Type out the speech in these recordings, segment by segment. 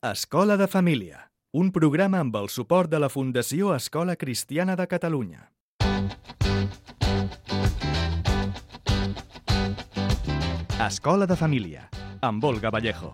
Escola de Família, un programa amb el suport de la Fundació Escola Cristiana de Catalunya. Escola de Família, amb Olga Vallejo.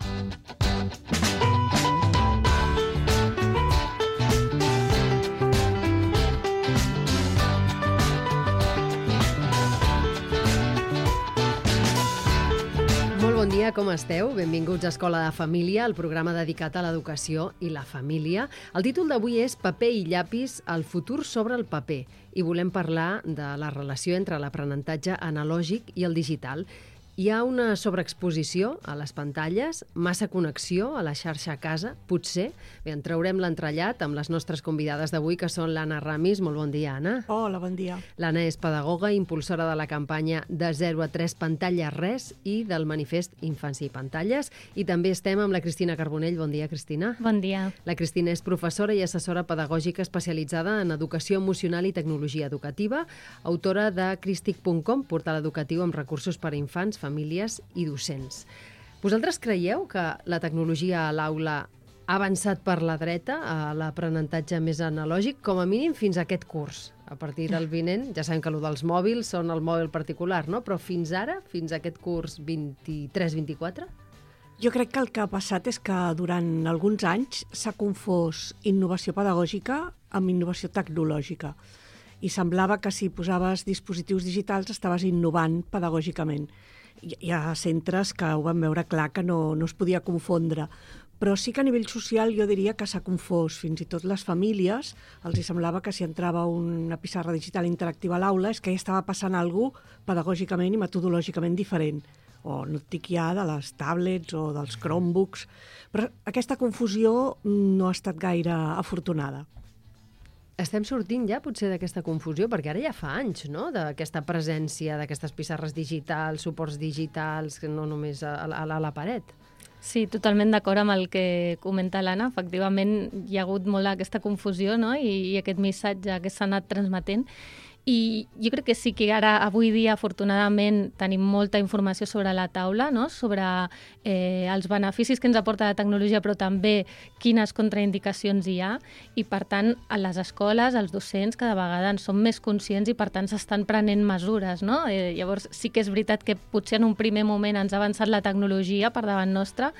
Bon dia, com esteu? Benvinguts a Escola de Família, el programa dedicat a l'educació i la família. El títol d'avui és Paper i llapis, el futur sobre el paper. I volem parlar de la relació entre l'aprenentatge analògic i el digital. Hi ha una sobreexposició a les pantalles, massa connexió a la xarxa a casa, potser. Bé, en traurem l'entrellat amb les nostres convidades d'avui, que són l'Anna Ramis. Molt bon dia, Anna. Hola, bon dia. L'Anna és pedagoga i impulsora de la campanya de 0 a 3 pantalles res i del manifest Infància i Pantalles. I també estem amb la Cristina Carbonell. Bon dia, Cristina. Bon dia. La Cristina és professora i assessora pedagògica especialitzada en educació emocional i tecnologia educativa, autora de Cristic.com, portal educatiu amb recursos per a infants, famílies i docents. Vosaltres creieu que la tecnologia a l'aula ha avançat per la dreta a l'aprenentatge més analògic, com a mínim fins a aquest curs? A partir del vinent, ja sabem que allò dels mòbils són el mòbil particular, no? Però fins ara, fins a aquest curs 23-24? Jo crec que el que ha passat és que durant alguns anys s'ha confós innovació pedagògica amb innovació tecnològica. I semblava que si posaves dispositius digitals estaves innovant pedagògicament. Hi ha centres que ho van veure clar que no es podia confondre, però sí que a nivell social jo diria que s'ha confós. Fins i tot les famílies els hi semblava que si entrava una pissarra digital interactiva a l'aula és que hi estava passant alguna cosa pedagògicament i metodològicament diferent. O no et dic ja de les tablets o dels Chromebooks, però aquesta confusió no ha estat gaire afortunada. Estem sortint ja potser d'aquesta confusió, perquè ara ja fa anys, no?, d'aquesta presència d'aquestes pissarres digitals, suports digitals, no només a la paret. Sí, totalment d'acord amb el que comenta l'Anna. Efectivament, hi ha hagut molt aquesta confusió, no?, i aquest missatge que s'ha anat transmetent. I jo crec que sí que ara, avui dia, afortunadament, tenim molta informació sobre la taula, no?, sobre els beneficis que ens aporta la tecnologia, però també quines contraindicacions hi ha. I, per tant, a les escoles, els docents, cada vegada en són més conscients i, per tant, s'estan prenent mesures, no? Llavors, sí que és veritat que potser en un primer moment ens ha avançat la tecnologia per davant nostra,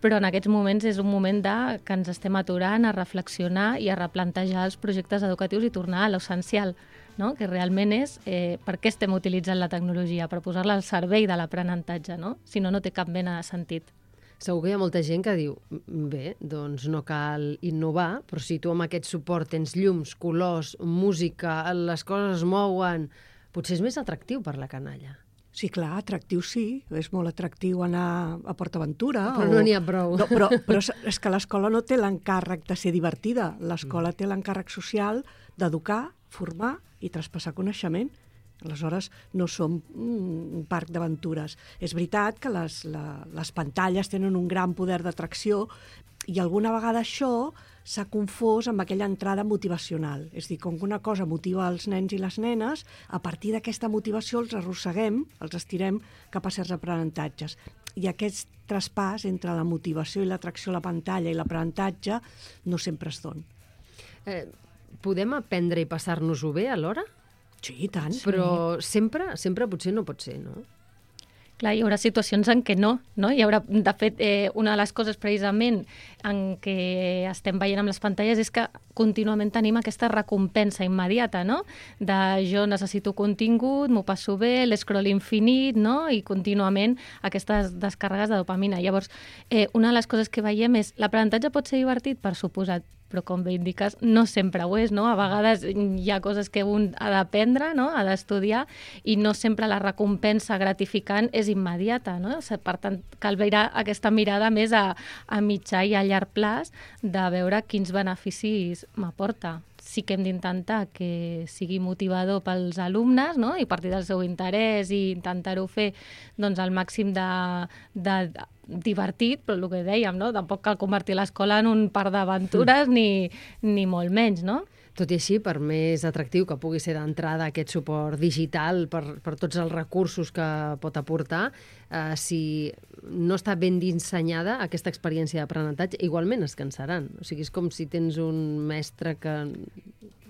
però en aquests moments és un moment que ens estem aturant a reflexionar i a replantejar els projectes educatius i tornar a l'essencial, no?, que realment és per què estem utilitzant la tecnologia, per posar-la al servei de l'aprenentatge, no? Si no, no té cap mena de sentit. Segur que hi ha molta gent que diu, bé, doncs no cal innovar, però si tu amb aquest suport tens llums, colors, música, les coses es mouen, potser és més atractiu per la canalla. Sí, clar, atractiu sí, és molt atractiu anar a PortAventura. Però no n'hi ha prou. No, però és que l'escola no té l'encàrrec de ser divertida, l'escola té l'encàrrec social d'educar, formar i traspassar coneixement. Aleshores, no som un parc d'aventures. És veritat que les pantalles tenen un gran poder d'atracció i alguna vegada això s'ha confós amb aquella entrada motivacional. És a dir, com que una cosa motiva els nens i les nenes, a partir d'aquesta motivació els arrosseguem, els estirem cap a certs aprenentatges. I aquest traspàs entre la motivació i l'atracció a la pantalla i l'aprenentatge no sempre es dona. Podem aprendre i passar-nos-ho bé alhora? Sí, i tant. Però sempre potser no pot ser, no? Clar, hi haurà situacions en què no? Hi haurà, de fet, una de les coses precisament en què estem veient amb les pantalles és que contínuament tenim aquesta recompensa immediata, no? De jo necessito contingut, m'ho passo bé, l'escroll infinit, no? I contínuament aquestes descàrregues de dopamina. Llavors, una de les coses que veiem és l'aprenentatge pot ser divertit, per suposat, però com bé indiques, no sempre ho és, no? A vegades hi ha coses que un ha d'aprendre, no?, ha d'estudiar, i no sempre la recompensa gratificant és immediata, no? Per tant, cal veure aquesta mirada més a mitjà i a llarg plaç de veure quins beneficis m'aporta. Sí que hem d'intentar que sigui motivador pels alumnes, no?, i a partir del seu interès i intentar-ho fer doncs, al màxim de divertit, però el que dèiem, no?, tampoc cal convertir l'escola en un parc d'aventures ni molt menys, no? Tot i així, per més atractiu que pugui ser d'entrada aquest suport digital per tots els recursos que pot aportar, si no està ben dissenyada aquesta experiència d'aprenentatge, igualment es cansaran. O sigui, és com si tens un mestre que...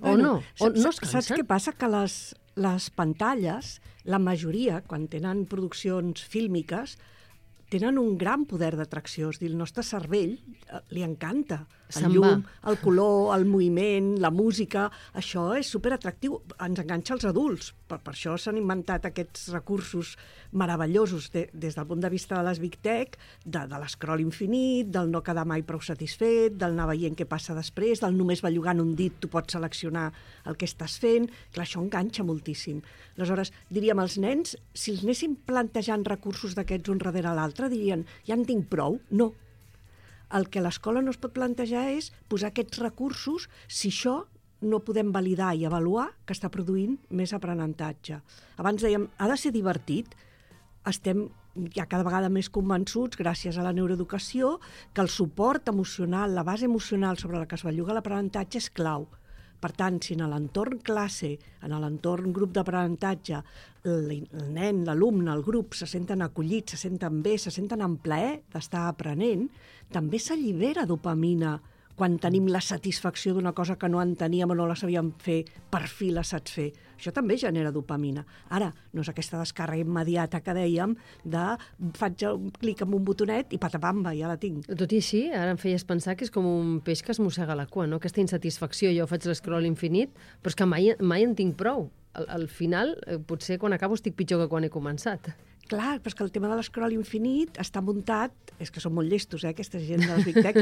O no es cansen. Saps què passa? Que les pantalles, la majoria, quan tenen produccions fílmiques, tenen un gran poder d'atracció. És a dir, el nostre cervell li encanta el llum, el color, el moviment, la música. Això és superatractiu. Ens enganxa als adults. Per això s'han inventat aquests recursos meravellosos des del punt de vista de les Big Tech, de l'escroll infinit, del no quedar mai prou satisfet, del anar veient què passa després, del només bellugant un dit tu pots seleccionar el que estàs fent. Clar, això enganxa moltíssim. Aleshores, diríem, els nens, si els anéssim plantejant recursos d'aquests un darrere l'altre, dirien, ja en tinc prou? No. El que l'escola no es pot plantejar és posar aquests recursos si això no podem validar i avaluar que està produint més aprenentatge. Abans dèiem, ha de ser divertit. Estem ja cada vegada més convençuts, gràcies a la neuroeducació, que el suport emocional, la base emocional sobre la que es belluga l'aprenentatge és clau. Per tant, si en l'entorn classe, en l'entorn grup d'aprenentatge, el nen, l'alumne, el grup se senten acollits, se senten bé, se senten en plaer d'estar aprenent, també s'allibera dopamina quan tenim la satisfacció d'una cosa que no enteníem o no la sabíem fer, per fi la saps fer. Això també genera dopamina. Ara, no és aquesta descàrrega immediata que dèiem de faig un clic amb un botonet i patapamba, ja la tinc. Tot i així, ara em feies pensar que és com un peix que es mossega la cua, no? Aquesta insatisfacció, jo faig l'escroll infinit, però és que mai en tinc prou. Al final, potser quan acabo estic pitjor que quan he començat. Clar, però és que el tema de l'escroll infinit està muntat, és que són molt llestos, aquesta gent de les Big Tech,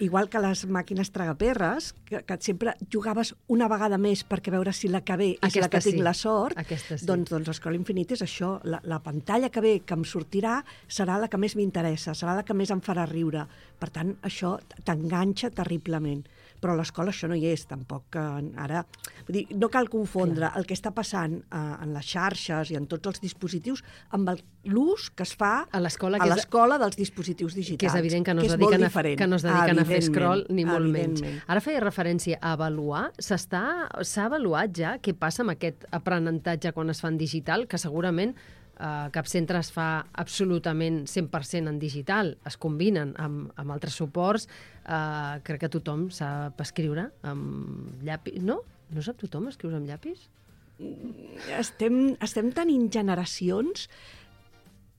igual que les màquines tragaperres, que sempre jugaves una vegada més perquè veure si la que ve és la que tinc la sort, doncs l'escroll infinit és això, la pantalla que ve que em sortirà serà la que més m'interessa, serà la que més em farà riure. Per tant, això t'enganxa terriblement. Però a l'escola això no hi és, tampoc. Ara, vull dir, no cal confondre el que està passant en les xarxes i en tots els dispositius amb l'ús que es fa a l'escola dels dispositius digitals. Que és evident que no es dediquen a fer scroll, ni molt menys. Ara feia referència a avaluar. S'ha avaluat ja què passa amb aquest aprenentatge quan es fa en digital, que segurament cap centre es fa absolutament 100% en digital, es combinen amb altres suports. Crec que tothom sap escriure amb llapis. No? No sap tothom escriure amb llapis? Estem tenint generacions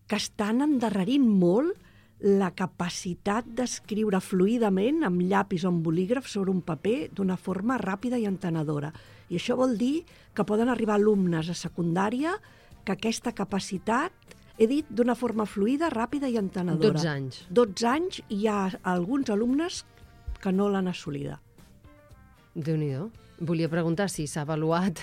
que estan endarrerint molt la capacitat d'escriure fluidament amb llapis o amb bolígraf sobre un paper d'una forma ràpida i entenedora. I això vol dir que poden arribar alumnes a secundària que aquesta capacitat, he dit, d'una forma fluida, ràpida i entenedora. 12 anys. 12 anys i hi ha alguns alumnes que no l'han assolida. Déu-n'hi-do. Volia preguntar si s'ha avaluat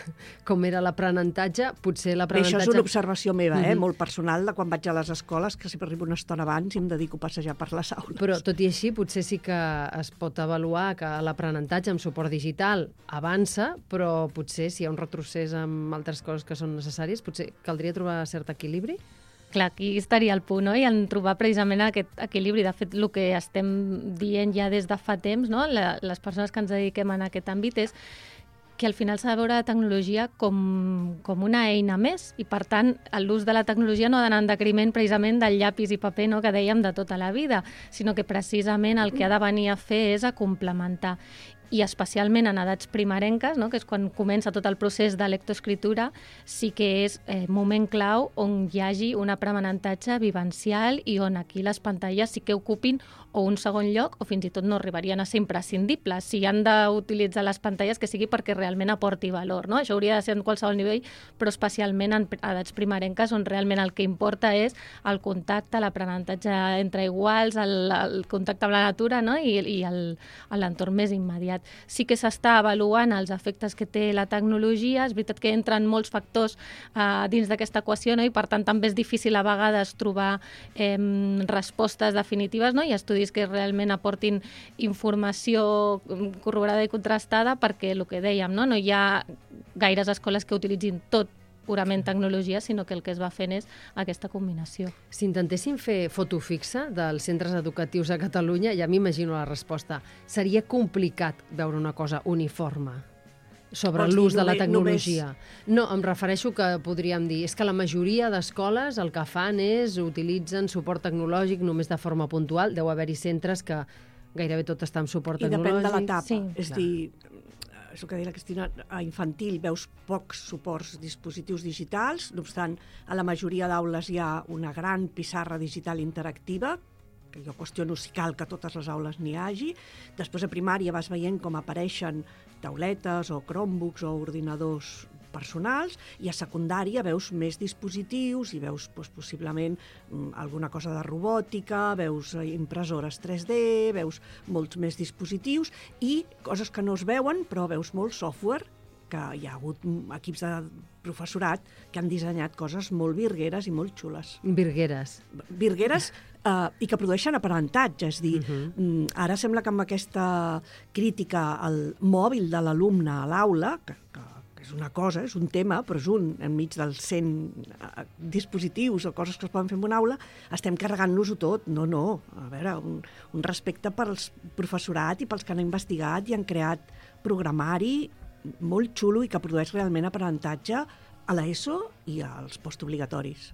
com era l'aprenentatge. Potser l'aprenentatge... Això és una observació meva, molt personal, de quan vaig a les escoles, que sempre arribo una estona abans i em dedico a passejar per les aules. Però, tot i així, potser sí que es pot avaluar que l'aprenentatge amb suport digital avança, però potser si hi ha un retrocés amb altres coses que són necessàries, potser caldria trobar cert equilibri? Clar, aquí estaria el punt, no? I en trobar precisament aquest equilibri. De fet, el que estem dient ja des de fa temps, no? Les persones que ens dediquem en aquest àmbit, és que al final s'ha de veure la tecnologia com una eina més i, per tant, l'ús de la tecnologia no ha d'anar en decriment precisament del llapis i paper, no?, que dèiem de tota la vida, sinó que precisament el que ha de venir a fer és a complementar. I especialment en edats primerenques, no?, que és quan comença tot el procés de lectoescriptura, sí que és moment clau on hi hagi un aprenentatge vivencial i on aquí les pantalles sí que ocupin o un segon lloc o fins i tot no arribarien a ser imprescindibles. Si han d'utilitzar les pantalles, que sigui perquè realment aporti valor, no? Això hauria de ser en qualsevol nivell, però especialment en edats primerenques on realment el que importa és el contacte, l'aprenentatge entre iguals, el contacte amb la natura, no?, i l'entorn més immediat. Sí que s'està avaluant els efectes que té la tecnologia. És veritat que entren molts factors dins d'aquesta equació, no?, i per tant també és difícil a vegades trobar respostes definitives, no?, i estudis que realment aportin informació corroborada i contrastada, perquè el que dèiem, no hi ha gaires escoles que utilitzin tot purament tecnologia, sinó que el que es va fent és aquesta combinació. Si intentéssim fer foto fixa dels centres educatius a Catalunya, ja m'imagino la resposta. Seria complicat veure una cosa uniforme. sobre l'ús de la tecnologia. No, em refereixo que podríem dir, és que la majoria d'escoles el que fan és utilitzen suport tecnològic només de forma puntual. Deu haver-hi centres que gairebé tot està amb suport tecnològic. I depèn de l'etapa. Sí, és dir, és el que deia la Cristina, a infantil veus pocs suports dispositius digitals, no obstant, a la majoria d'aules hi ha una gran pissarra digital interactiva, que jo qüestiono si cal que a totes les aules n'hi hagi. Després a primària vas veient com apareixen tauletes o Chromebooks o ordinadors personals, i a secundària veus més dispositius i veus possiblement alguna cosa de robòtica, veus impressores 3D, veus molts més dispositius i coses que no es veuen, però veus molt software, que hi ha hagut equips de professorat que han dissenyat coses molt virgueres i molt xules. Virgueres. Virgueres i que produeixen aprenentatge. És dir, ara sembla que amb aquesta crítica al mòbil de l'alumne a l'aula, que és una cosa, és un tema, però és enmig dels 100 dispositius o coses que es poden fer en una aula, estem carregant-nos-ho tot. No, a veure, un respecte pels professorat i pels que han investigat i han creat programari molt xulo i que produeix realment aprenentatge a l'ESO i als postobligatoris.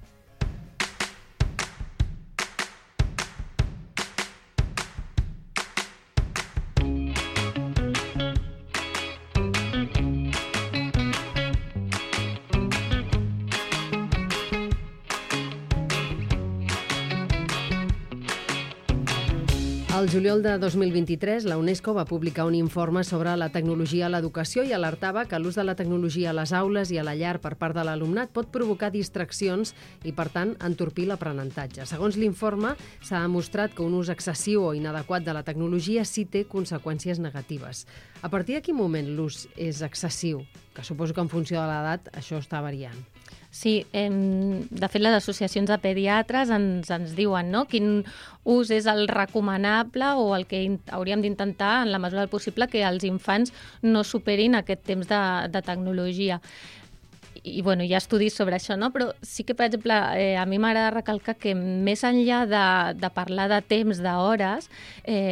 Al juliol de 2023, la UNESCO va publicar un informe sobre la tecnologia a l'educació i alertava que l'ús de la tecnologia a les aules i a la llar per part de l'alumnat pot provocar distraccions i, per tant, entorpir l'aprenentatge. Segons l'informe, s'ha demostrat que un ús excessiu o inadequat de la tecnologia sí té conseqüències negatives. A partir de quin moment l'ús és excessiu? Que suposo que en funció de l'edat això està variant. Sí, de fet les associacions de pediatres ens diuen, no?, quin ús és el recomanable o el que hauríem d'intentar en la mesura del possible que els infants no superin aquest temps de tecnologia. I bueno, hi ha estudis sobre això, no? Però sí que, per exemple, a mi m'agrada recalcar que més enllà de parlar de temps, d'hores,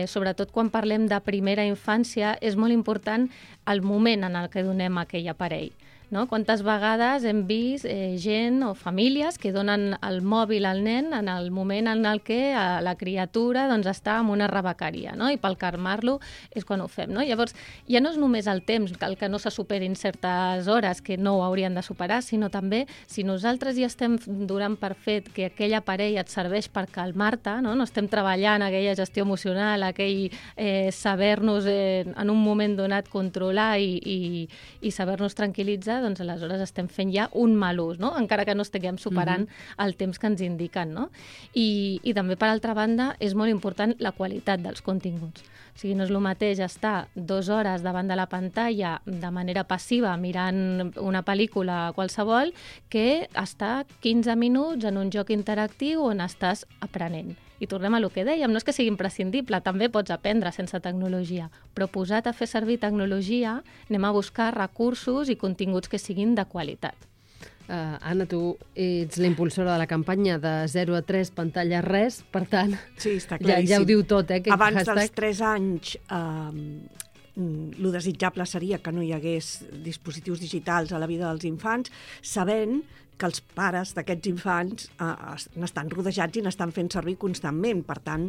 sobretot quan parlem de primera infància, és molt important el moment en el que donem aquell aparell. No? Quantes vegades hem vist gent o famílies que donen el mòbil al nen en el moment en el que la criatura doncs, està en una rebecària, no? I pel calmar-lo és quan ho fem. No? Llavors, ja no és només el temps, el que no se superin certes hores, que no ho haurien de superar, sinó també si nosaltres ja estem donant per fet que aquell aparell et serveix per calmar-te, no estem treballant aquella gestió emocional, aquell saber-nos en un moment donat controlar i saber-nos tranquil·litzar, doncs aleshores estem fent ja un mal ús, no? Encara que no estiguem superant el temps que ens indiquen. No? I també, per altra banda, és molt important la qualitat dels continguts. O sigui, no és el mateix estar 2 hores davant de la pantalla de manera passiva mirant una pel·lícula qualsevol que estar 15 minuts en un joc interactiu on estàs aprenent. I tornem a lo que dèiem, no és que sigui imprescindible, també pots aprendre sense tecnologia, però posat a fer servir tecnologia, anem a buscar recursos i continguts que siguin de qualitat. Anna, tu ets la impulsora de la campanya de 0 a 3 pantalla res, per tant, sí, està ja ho diu tot. Abans dels 3 anys, lo desitjable seria que no hi hagués dispositius digitals a la vida dels infants, sabent que els pares d'aquests infants n'estan rodejats i n'estan fent servir constantment. Per tant,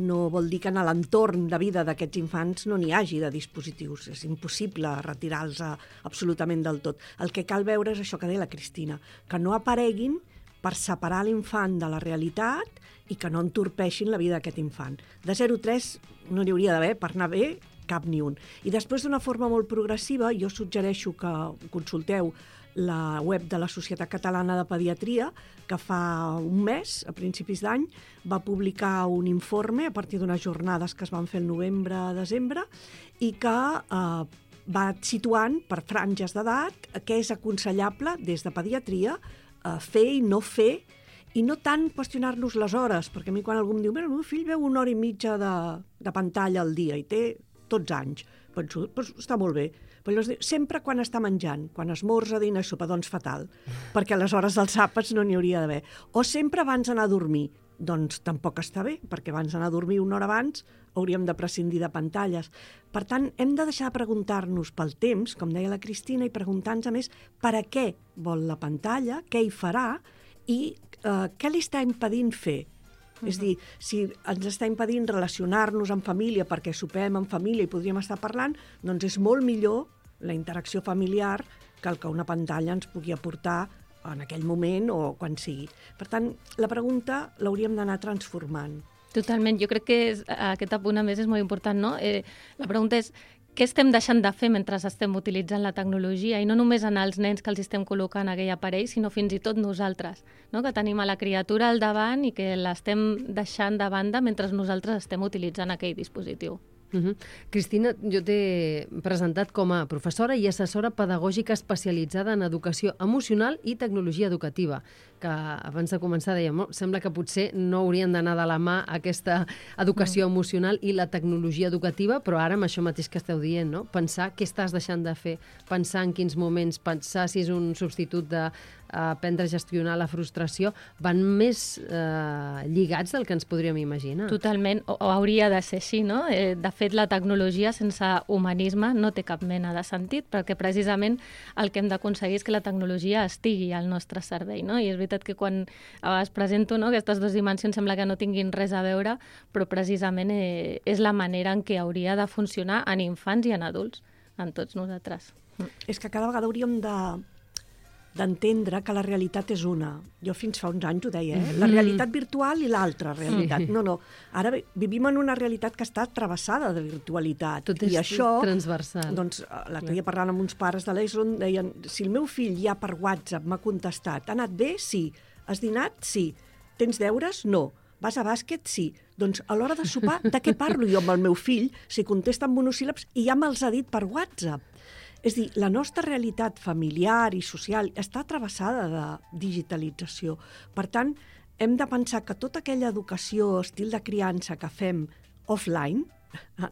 no vol dir que en l'entorn de vida d'aquests infants no n'hi hagi de dispositius. És impossible retirar-los absolutament del tot. El que cal veure és això que deia la Cristina, que no apareguin per separar l'infant de la realitat i que no entorpeixin la vida d'aquest infant. De 0 a 3 no n'hi hauria d'haver, per anar bé, cap ni un. I després, d'una forma molt progressiva, jo suggereixo que consulteu la web de la Societat Catalana de Pediatria, que fa un mes, a principis d'any, va publicar un informe a partir d'unes jornades que es van fer el novembre-desembre i que va situant per franges d'edat què és aconsellable des de pediatria fer i no fer, i no tant qüestionar-nos les hores, perquè a mi quan algú em diu el meu fill veu 1 hora i mitja de pantalla al dia i té 12 anys, penso, doncs està molt bé. Però sempre quan està menjant, quan esmorza, dinar i sopa, doncs fatal, perquè a les hores dels àpats no n'hi hauria d'haver. O sempre abans d'anar a dormir, doncs tampoc està bé, perquè abans d'anar a dormir una hora abans hauríem de prescindir de pantalles. Per tant, hem de deixar de preguntar-nos pel temps, com deia la Cristina, i preguntar-nos a més per a què vol la pantalla, què hi farà i què li està impedint fer. És a dir, si ens està impedint relacionar-nos amb família perquè sopem en família i podríem estar parlant, doncs és molt millor la interacció familiar que el que una pantalla ens pugui aportar en aquell moment o quan sigui. Per tant, la pregunta l'hauríem d'anar transformant. Totalment. Jo crec que aquest apunt, a més, és molt important, no? La pregunta és què estem deixant de fer mentre estem utilitzant la tecnologia, i no només en els nens que els estem col·locant aquell aparell, sinó fins i tot nosaltres, no? Que tenim a la criatura al davant i que l'estem deixant de banda mentre nosaltres estem utilitzant aquell dispositiu. Cristina, jo t'he presentat com a professora i assessora pedagògica especialitzada en educació emocional i tecnologia educativa, que abans de començar dèiem, sembla que potser no haurien d'anar de la mà aquesta educació emocional i la tecnologia educativa, però ara amb això mateix que esteu dient, no? Pensar què estàs deixant de fer, pensar en quins moments, pensar si és un substitut de aprendre a gestionar la frustració, van més lligats del que ens podríem imaginar. Totalment, o hauria de ser així, no? De fet, la tecnologia sense humanisme no té cap mena de sentit, perquè precisament el que hem d'aconseguir és que la tecnologia estigui al nostre servei, no? I és veritat que quan es presento, no, aquestes dues dimensions sembla que no tinguin res a veure, però precisament és la manera en què hauria de funcionar en infants i en adults, en tots nosaltres. És que cada vegada hauríem d'entendre que la realitat és una. Jo fins fa uns anys ho deia, la realitat virtual i l'altra realitat. No. Ara vivim en una realitat que està travessada de virtualitat. Tot és transversal. Doncs l'altre dia parlant amb uns pares de l'ESO deien, si el meu fill ja per WhatsApp m'ha contestat, ha anat bé? Sí. Has dinat? Sí. Tens deures? No. Vas a bàsquet? Sí. Doncs a l'hora de sopar, de què parlo jo amb el meu fill si contesta amb monosíl·labs i ja me'ls ha dit per WhatsApp? És a dir, la nostra realitat familiar i social està travessada de digitalització. Per tant, hem de pensar que tota aquella educació, estil de criança que fem offline,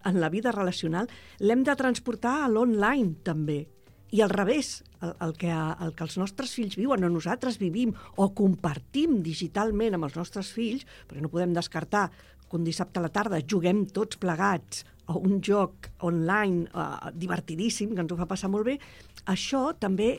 en la vida relacional, l'hem de transportar a l'online també. I al revés, el que els nostres fills viuen o nosaltres vivim o compartim digitalment amb els nostres fills, perquè no podem descartar que un dissabte a la tarda juguem tots plegats a un joc online divertidíssim, que ens ho fa passar molt bé, això també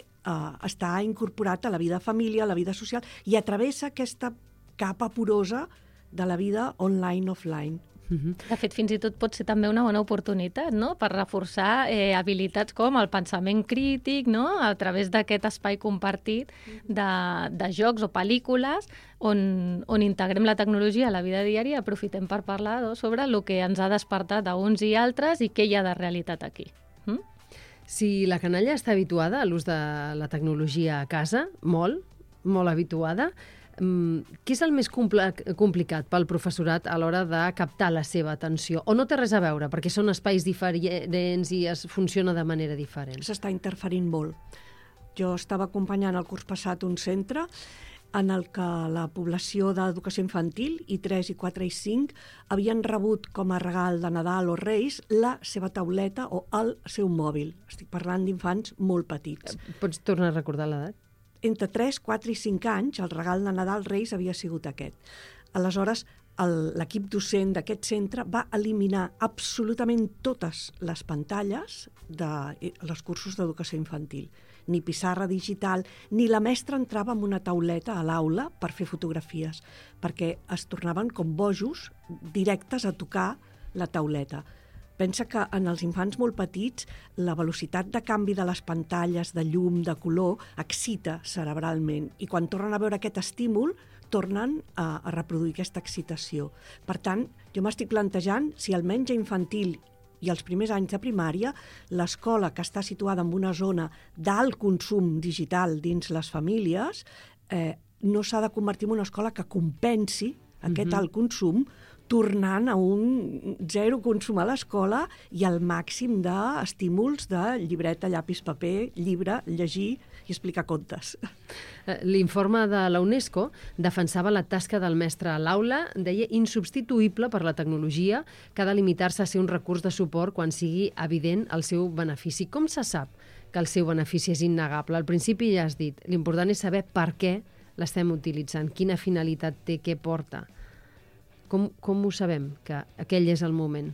està incorporat a la vida de família, a la vida social, i atravessa aquesta capa porosa de la vida online-offline. De fet, fins i tot pot ser també una bona oportunitat, no?, per reforçar habilitats com el pensament crític, no?, a través d'aquest espai compartit de jocs o pel·lícules on integrem la tecnologia a la vida diària i aprofitem per parlar sobre el que ens ha despertat a uns i altres i què hi ha de realitat aquí. Si la canalla està habituada a l'ús de la tecnologia a casa, molt habituada, què és el més complicat pel professorat a l'hora de captar la seva atenció? O no té res a veure, perquè són espais diferents i es funciona de manera diferent? S'està interferint molt. Jo estava acompanyant el curs passat un centre en el que la població d'educació infantil, I3, I4 i 5, havien rebut com a regal de Nadal o Reis la seva tauleta o el seu mòbil. Estic parlant d'infants molt petits. Pots tornar a recordar l'edat? Entre 3, 4 i 5 anys, el regal de Nadal Reis havia sigut aquest. Aleshores, l'equip docent d'aquest centre va eliminar absolutament totes les pantalles dels cursos d'educació infantil. Ni pissarra digital, ni la mestra entrava amb una tauleta a l'aula per fer fotografies, perquè es tornaven com bojos directes a tocar la tauleta. Pensa que en els infants molt petits la velocitat de canvi de les pantalles, de llum, de color, excita cerebralment i quan tornen a veure aquest estímul tornen a reproduir aquesta excitació. Per tant, jo m'estic plantejant si almenys a infantil i els primers anys de primària l'escola que està situada en una zona d'alt consum digital dins les famílies no s'ha de convertir en una escola que compensi aquest alt consum tornant a un zero consum a l'escola i al màxim d'estímuls de llibreta, llapis, paper, llibre, llegir i explicar contes. L'informe de la UNESCO defensava la tasca del mestre a l'aula, deia insubstituïble per la tecnologia, que ha de limitar-se a ser un recurs de suport quan sigui evident el seu benefici. Com se sap que el seu benefici és innegable? Al principi ja has dit, l'important és saber per què l'estem utilitzant, quina finalitat té, què porta. Com ho sabem, que aquell és el moment?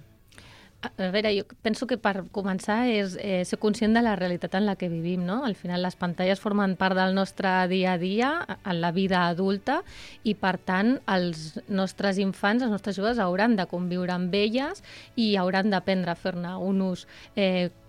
A veure, jo penso que per començar és ser conscient de la realitat en la que vivim, no? Al final les pantalles formen part del nostre dia a dia, en la vida adulta, i per tant els nostres infants, els nostres joves hauran de conviure amb elles i hauran d'aprendre a fer-ne un ús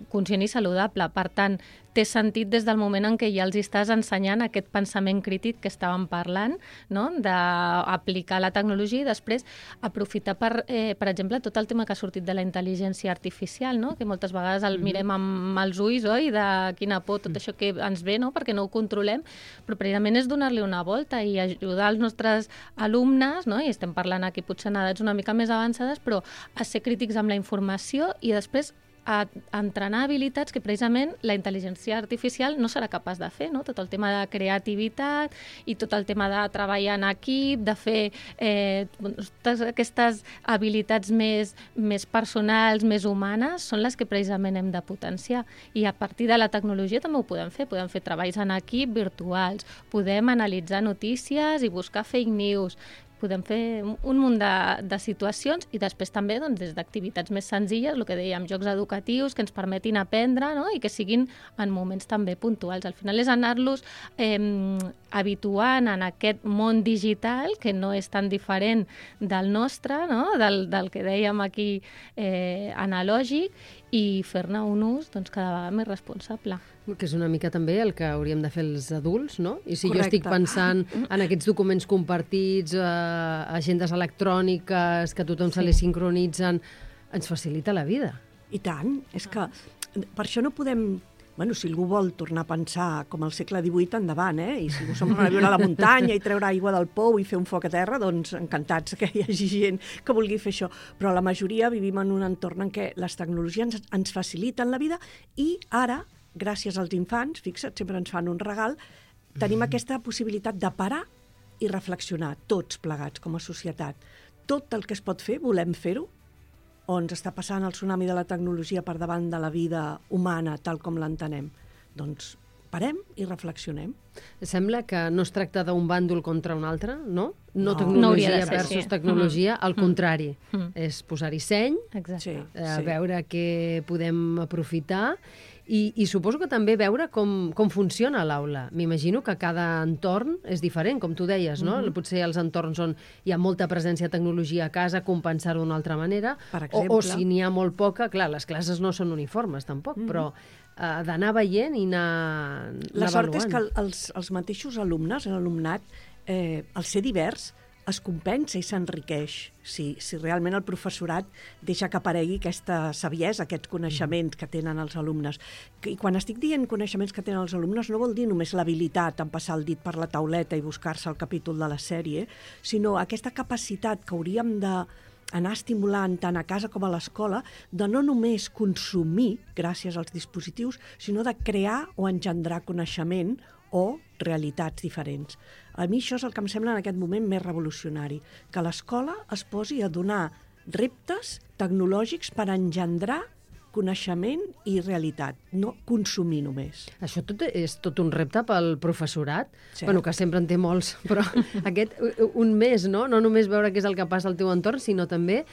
conscient i saludable. Per tant, té sentit des del moment en què ja els estàs ensenyant aquest pensament crític que estàvem parlant, no? D'aplicar la tecnologia i després aprofitar, per exemple, tot el tema que ha sortit de la intel·ligència artificial, no? Que moltes vegades el mirem amb els ulls, oi? De quina por, tot això que ens ve, no? Perquè no ho controlem, però precisament és donar-li una volta i ajudar els nostres alumnes, no? I estem parlant aquí potser en edats una mica més avançades, però a ser crítics amb la informació i després a entrenar habilitats que precisament la intel·ligència artificial no serà capaç de fer, no? Tot el tema de creativitat i tot el tema de treballar en equip, de fer totes aquestes habilitats més personals, més humanes, són les que precisament hem de potenciar. I a partir de la tecnologia també ho podem fer treballs en equip virtuals, podem analitzar notícies i buscar fake news, podem fer un munt de situacions i després també des d'activitats més senzilles, el que dèiem, jocs educatius que ens permetin aprendre, no? I que siguin en moments també puntuals. Al final és anar-los habituant en aquest món digital que no és tan diferent del nostre, no? del que dèiem aquí analògic, i fer-ne un ús cada vegada més responsable. Que és una mica també el que hauríem de fer els adults, no? I si Correcte. Jo estic pensant en aquests documents compartits, agendes electròniques, que a tothom se li sincronitzen, ens facilita la vida. I tant, és que per això no podem... Bueno, si algú vol tornar a pensar com al segle XVIII, endavant, I si algú se'n vol anar a viure a la muntanya i treure aigua del pou i fer un foc a terra, doncs encantats que hi hagi gent que vulgui fer això. Però la majoria vivim en un entorn en què les tecnologies ens faciliten la vida i ara, gràcies als infants, fixa't, sempre ens fan un regal, tenim aquesta possibilitat de parar i reflexionar, tots plegats com a societat. Tot el que es pot fer, volem fer-ho, o ens està passant el tsunami de la tecnologia per davant de la vida humana tal com l'entenem. Doncs parem i reflexionem. Sembla que no es tracta d'un bàndol contra un altre, no? No No. tecnologia No versus tecnologia, al contrari. És posar-hi seny, Exacte. veure què podem aprofitar i suposo que també veure com funciona l'aula. M'imagino que cada entorn és diferent, com tu deies, no? Potser els entorns on hi ha molta presència de tecnologia a casa, compensar-ho d'una altra manera, Per exemple. o si n'hi ha molt poca, clar, les classes no són uniformes tampoc, però d'anar veient i anar La sort és avaluant. que els mateixos alumnes, l'alumnat, al ser divers, es compensa i s'enriqueix si realment el professorat deixa que aparegui aquesta saviesa, aquests coneixements que tenen els alumnes. I quan estic dient coneixements que tenen els alumnes no vol dir només l'habilitat en passar el dit per la tauleta i buscar-se el capítol de la sèrie, sinó aquesta capacitat que hauríem d'anar estimulant tant a casa com a l'escola de no només consumir gràcies als dispositius, sinó de crear o engendrar coneixement o realitats diferents. A mi això és el que em sembla en aquest moment més revolucionari, que l'escola es posi a donar reptes tecnològics per engendrar coneixement i realitat, no consumir només. Això és tot un repte pel professorat, Cert. bueno, que sempre en té molts, però aquest un més, no? No només veure què és el que passa al teu entorn, sinó també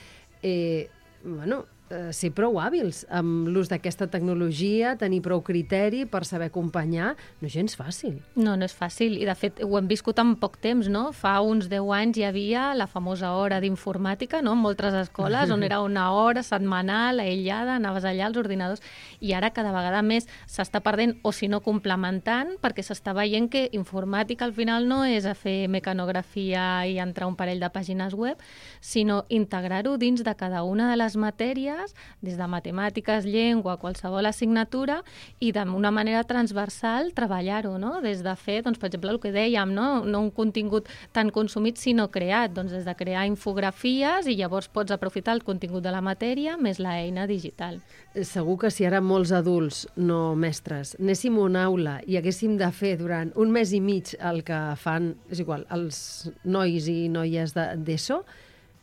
ser prou hàbils amb l'ús d'aquesta tecnologia, tenir prou criteri per saber acompanyar, no és gens fàcil. No és fàcil, i de fet ho hem viscut en poc temps, no? Fa uns 10 anys hi havia la famosa hora d'informàtica, no? En moltes escoles, on era una hora setmanal, aïllada, anaves allà als ordinadors, i ara cada vegada més s'està perdent, o si no complementant, perquè s'està veient que informàtica al final no és a fer mecanografia i entrar un parell de pàgines web, sinó integrar-ho dins de cada una de les matèries, des de matemàtiques, llengua, qualsevol assignatura, i d'una manera transversal treballar-ho, no? Des de fer, doncs, per exemple, el que dèiem, no un contingut tan consumit, sinó creat, doncs des de crear infografies, i llavors pots aprofitar el contingut de la matèria més l'eina digital. Segur que si ara molts adults, no mestres, anéssim a una aula i haguéssim de fer durant un mes i mig el que fan, és igual, els nois i noies d'ESO,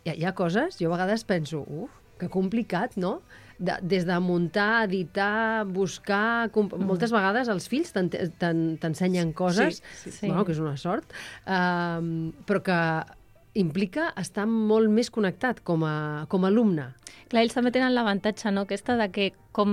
hi ha coses, jo a vegades penso, que complicat, no? Des de muntar, editar, buscar... Moltes vegades els fills t'ensenyen coses, Sí. bueno, que és una sort, però que implica estar molt més connectat com a alumne. Clar, ells també tenen l'avantatge, no?, aquesta de que com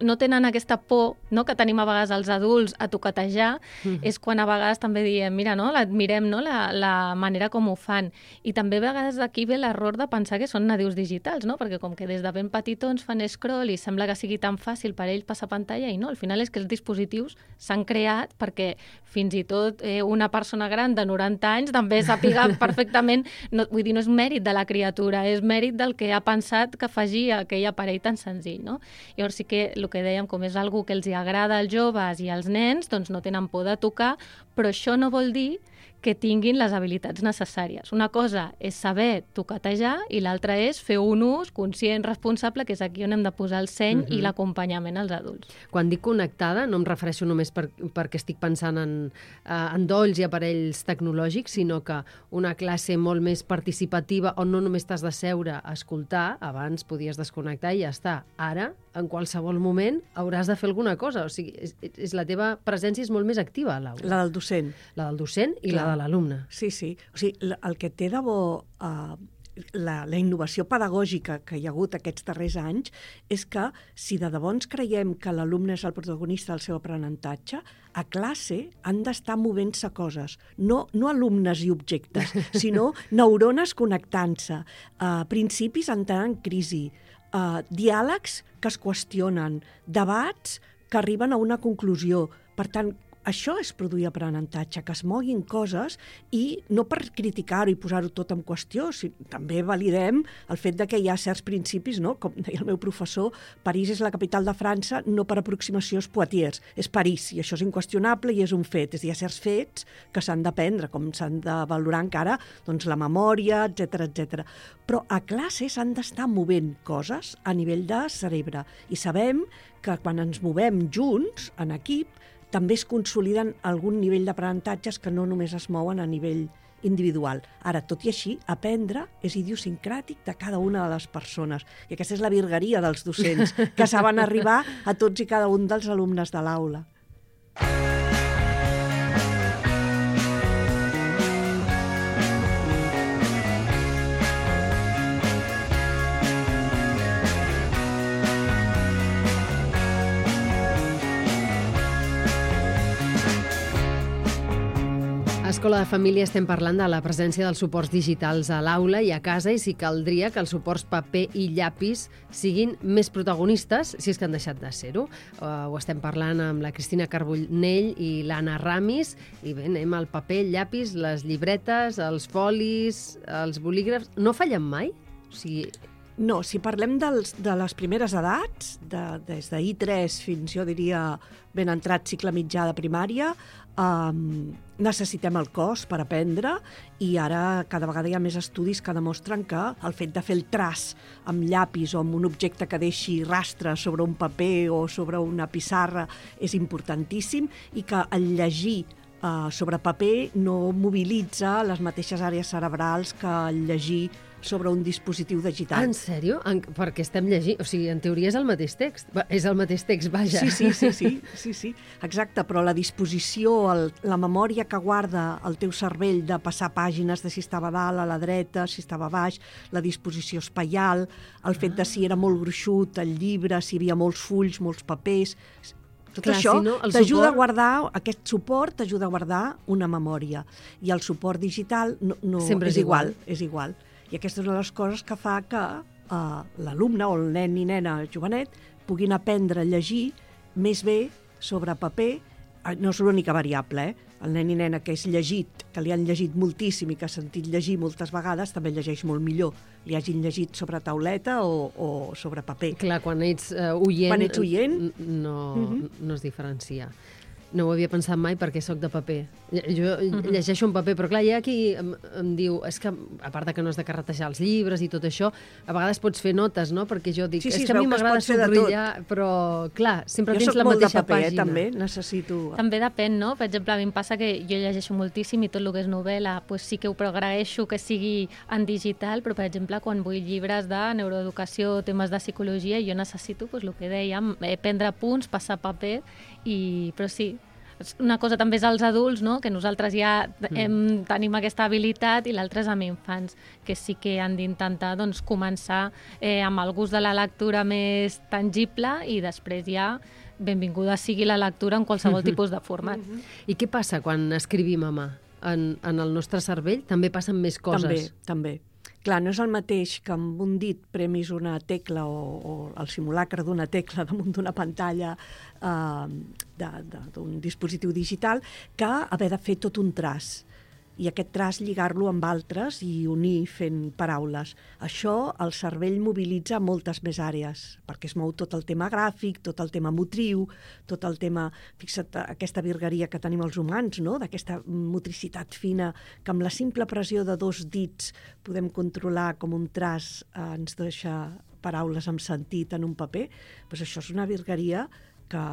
no tenen aquesta por, no?, que tenim a vegades els adults a toquetejar, és quan a vegades també diem, mira, no?, admirem, no?, la manera com ho fan. I també a vegades d'aquí ve l'error de pensar que són nadius digitals, no?, perquè com que des de ben petitons fan scroll i sembla que sigui tan fàcil per ells passar pantalla, i no, al final és que els dispositius s'han creat perquè fins i tot una persona gran de 90 anys també sàpiga perfectament, no, vull dir, no és mèrit de la criatura, és mèrit del que ha pensat que faci aquell aparell tan senzill, no? Llavors sí que el que dèiem, com és algo que els hi agrada als joves i als nens, doncs no tenen por de tocar, però això no vol dir que tinguin les habilitats necessàries. Una cosa és saber toquetejar i l'altra és fer un ús conscient, responsable, que és aquí on hem de posar el seny i l'acompanyament als adults. Quan dic connectada, no em refereixo només perquè estic pensant en dolls i aparells tecnològics, sinó que una classe molt més participativa on no només t'has de seure a escoltar, abans podies desconnectar i ja està. Ara, en qualsevol moment, hauràs de fer alguna cosa. O sigui, la teva presència és molt més activa a l'aula. La del docent. La del docent i la de l'alumne. Sí, sí. O sigui, el que té de bo la innovació pedagògica que hi ha hagut aquests darrers anys és que si de debò ens creiem que l'alumne és el protagonista del seu aprenentatge, a classe han d'estar movent-se coses, no alumnes i objectes, sinó neurones connectant-se, principis entrant en crisi, diàlegs que es qüestionen, debats que arriben a una conclusió. Per tant, això és produir aprenentatge, que es moguin coses i no per criticar-ho i posar-ho tot en qüestió, també validem el fet de que hi ha certs principis, no? Com deia el meu professor, París és la capital de França, no per aproximació és Poitiers, és París, i això és inqüestionable i és un fet. És a dir, hi ha certs fets que s'han d'aprendre, com s'han de valorar encara doncs, la memòria, etc. Però a classe s'han d'estar movent coses a nivell de cerebre. I sabem que quan ens movem junts, en equip, també es consoliden algun nivell d'aprenentatges que no només es mouen a nivell individual. Ara, tot i així, aprendre és idiosincràtic de cada una de les persones. I aquesta és la virgueria dels docents, que saben arribar a tots i cada un dels alumnes de l'aula. A Escola de Família estem parlant de la presència dels suports digitals a l'aula i a casa i si caldria que els suports paper i llapis siguin més protagonistes, si és que han deixat de ser-ho. Ho estem parlant amb la Cristina Carbonell i l'Anna Ramis i bé, anem al paper, el llapis, les llibretes, els folis, els bolígrafs... No fallen mai? O sigui... No, si parlem de les primeres edats, des d'I3 fins, jo diria, ben entrat cicle mitjà de primària, necessitem el cos per aprendre i ara cada vegada hi ha més estudis que demostren que el fet de fer el traç amb llapis o amb un objecte que deixi rastre sobre un paper o sobre una pissarra és importantíssim i que el llegir sobre paper no mobilitza les mateixes àrees cerebrals que el llegir sobre un dispositiu digital. En sèrio? Perquè estem llegint... O sigui, en teoria és el mateix text. És el mateix text, vaja. Sí. Exacte, però la disposició, la memòria que guarda el teu cervell de passar pàgines de si estava a dalt, a la dreta, si estava a baix, la disposició espaial, el fet de si era molt gruixut el llibre, si hi havia molts fulls, molts papers... Tot això t'ajuda a guardar, aquest suport t'ajuda a guardar una memòria. I el suport digital no és igual. I aquesta és una de les coses que fa que l'alumne o el nen i nena jovenet puguin aprendre a llegir més bé sobre paper. No és l'única variable, El nen i nena que és llegit, que li han llegit moltíssim i que ha sentit llegir moltes vegades, també llegeix molt millor. Li hagin llegit sobre tauleta o sobre paper. Clar, quan ets oient, no es diferencia. No ho havia pensat mai perquè sóc de paper. Jo llegeixo en paper, però clar, hi ha qui em diu, és que, a part que no has de carretejar els llibres i tot això, a vegades pots fer notes, no? Perquè jo dic, és que a mi m'agrada subratllar, però clar, sempre tens la mateixa pàgina. Jo soc molt de paper, també, necessito... També depèn, no? Per exemple, a mi em passa que jo llegeixo moltíssim i tot el que és novel·la, pues sí que ho agraeixo que sigui en digital, però, per exemple, quan vull llibres de neuroeducació, temes de psicologia, jo necessito, pues, el que dèiem, prendre punts, passar paper, però sí, una cosa també és als adults, no? Que nosaltres ja tenim aquesta habilitat, i l'altra és amb infants, que sí que han d'intentar doncs, començar amb el gust de la lectura més tangible, i després ja benvinguda sigui la lectura en qualsevol tipus de format. I què passa quan escrivim a mà? En el nostre cervell també passen més coses. També. Clar, no és el mateix que amb un dit premis una tecla o el simulacre d'una tecla damunt d'una pantalla d'un dispositiu digital que haver de fer tot un traç. I aquest traç lligar-lo amb altres i unir fent paraules. Això el cervell mobilitza moltes més àrees, perquè es mou tot el tema gràfic, tot el tema motriu, tot el tema... Fixa't, aquesta virgueria que tenim els humans, no? D'aquesta motricitat fina, que amb la simple pressió de 2 dits podem controlar com un traç ens deixa paraules amb sentit en un paper. Doncs això és una virgueria que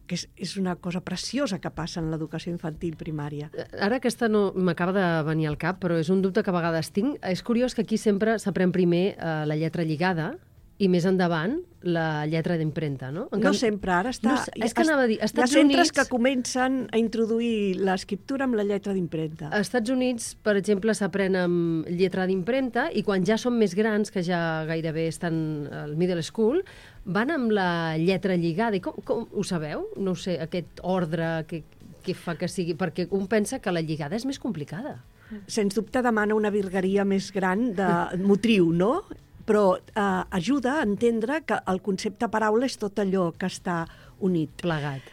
és una cosa preciosa que passa en l'educació infantil primària. Ara aquesta no m'acaba de venir al cap, però és un dubte que a vegades tinc. És curiós que aquí sempre s'aprèn primer la lletra lligada i més endavant la lletra d'impremta, no? No sempre, ara està... No, és que anava a dir, hi ha centres que comencen a introduir l'escriptura amb la lletra d'impremta. Als Estats Units, per exemple, s'aprèn amb lletra d'impremta, i quan ja són més grans, que ja gairebé estan al middle school, van amb la lletra lligada. I com ho sabeu? No ho sé, aquest ordre que fa que sigui... Perquè un pensa que la lligada és més complicada. Sens dubte demana una virgueria més gran de motriu, no? Però ajuda a entendre que el concepte paraula és tot allò que està unit. Plegat.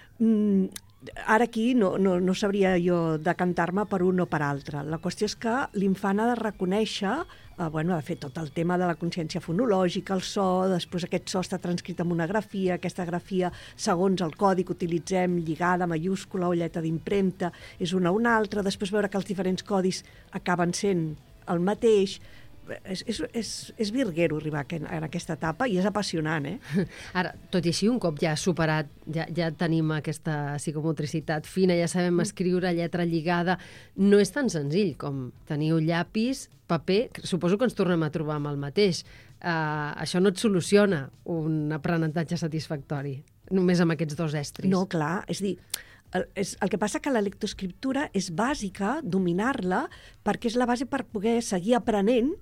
Ara aquí no sabria jo decantar-me per un o per altre. La qüestió és que l'infant ha de reconèixer, ha de fer tot el tema de la consciència fonològica, el so, després aquest so està transcrit en una grafia, aquesta grafia, segons el codi que utilitzem, lligada, mayúscula o lletra d'impremta, és una o una altra, després veure que els diferents codis acaben sent el mateix. És virguero arribar en aquesta etapa i és apassionant, Ara, tot i així, un cop ja superat, ja tenim aquesta psicomotricitat fina, ja sabem escriure lletra lligada, no és tan senzill com tenir un llapis, paper, suposo que ens tornem a trobar amb el mateix. Això no et soluciona un aprenentatge satisfactori, només amb aquests 2 estris. No, clar, és dir, el que passa que la lectoescriptura és bàsica, dominar-la, perquè és la base per poder seguir aprenent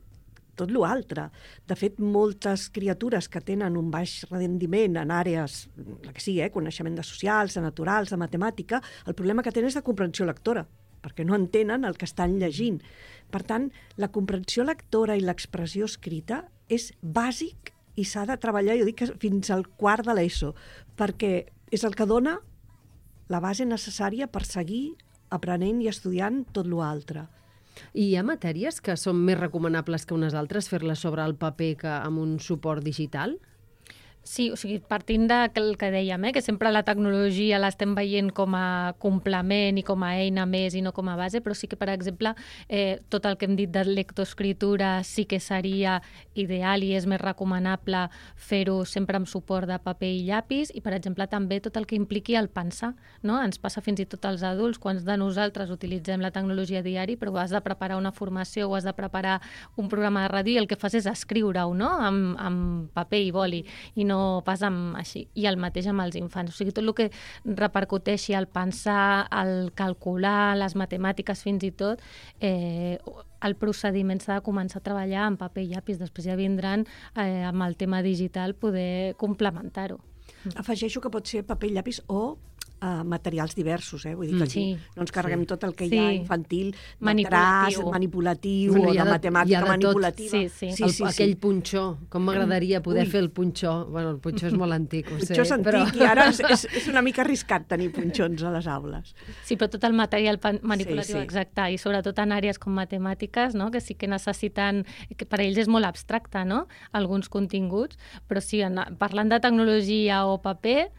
tot l'altre. De fet, moltes criatures que tenen un baix rendiment en àrees, la que sigui, coneixement de socials, de naturals, de matemàtica, el problema que tenen és de comprensió lectora, perquè no entenen el que estan llegint. Per tant, la comprensió lectora i l'expressió escrita és bàsic i s'ha de treballar, jo dic, fins al quart de l'ESO, perquè és el que dona la base necessària per seguir aprenent i estudiant tot l'altre. I hi ha matèries que són més recomanables que unes altres, fer-les sobre el paper que amb un suport digital? Sí, o sigui, partint del que dèiem, que sempre la tecnologia l'estem veient com a complement i com a eina més i no com a base, però sí que, per exemple, tot el que hem dit de lectoescriptura sí que seria ideal i és més recomanable fer-ho sempre amb suport de paper i llapis, i, per exemple, també tot el que impliqui el pensar, no? Ens passa fins i tot als adults, quants de nosaltres utilitzem la tecnologia diari, però has de preparar una formació o has de preparar un programa de ràdio i el que fas és escriure-ho, no? Amb paper i boli, i no pas amb així. I el mateix amb els infants. O sigui, tot el que repercuteixi al pensar, al calcular, les matemàtiques fins i tot, el procediment s'ha de començar a treballar amb paper i llapis. Després ja vindran amb el tema digital poder complementar-ho. Afegeixo que pot ser paper i llapis o materials diversos, vull dir que aquí no ens carreguem tot el que hi ha infantil, manipulatiu o de matemàtica manipulativa. Aquell punxó, com m'agradaria poder fer el punxó. Bueno, el punxó és molt antic, ho sé. Punxó és antic i ara és una mica arriscat tenir punxons a les aules. Sí, però tot el material manipulatiu, exacte, i sobretot en àrees com matemàtiques, no? Que sí que necessiten, que per ells és molt abstracte, no? Alguns continguts, però sí, parlant de tecnologia o paper,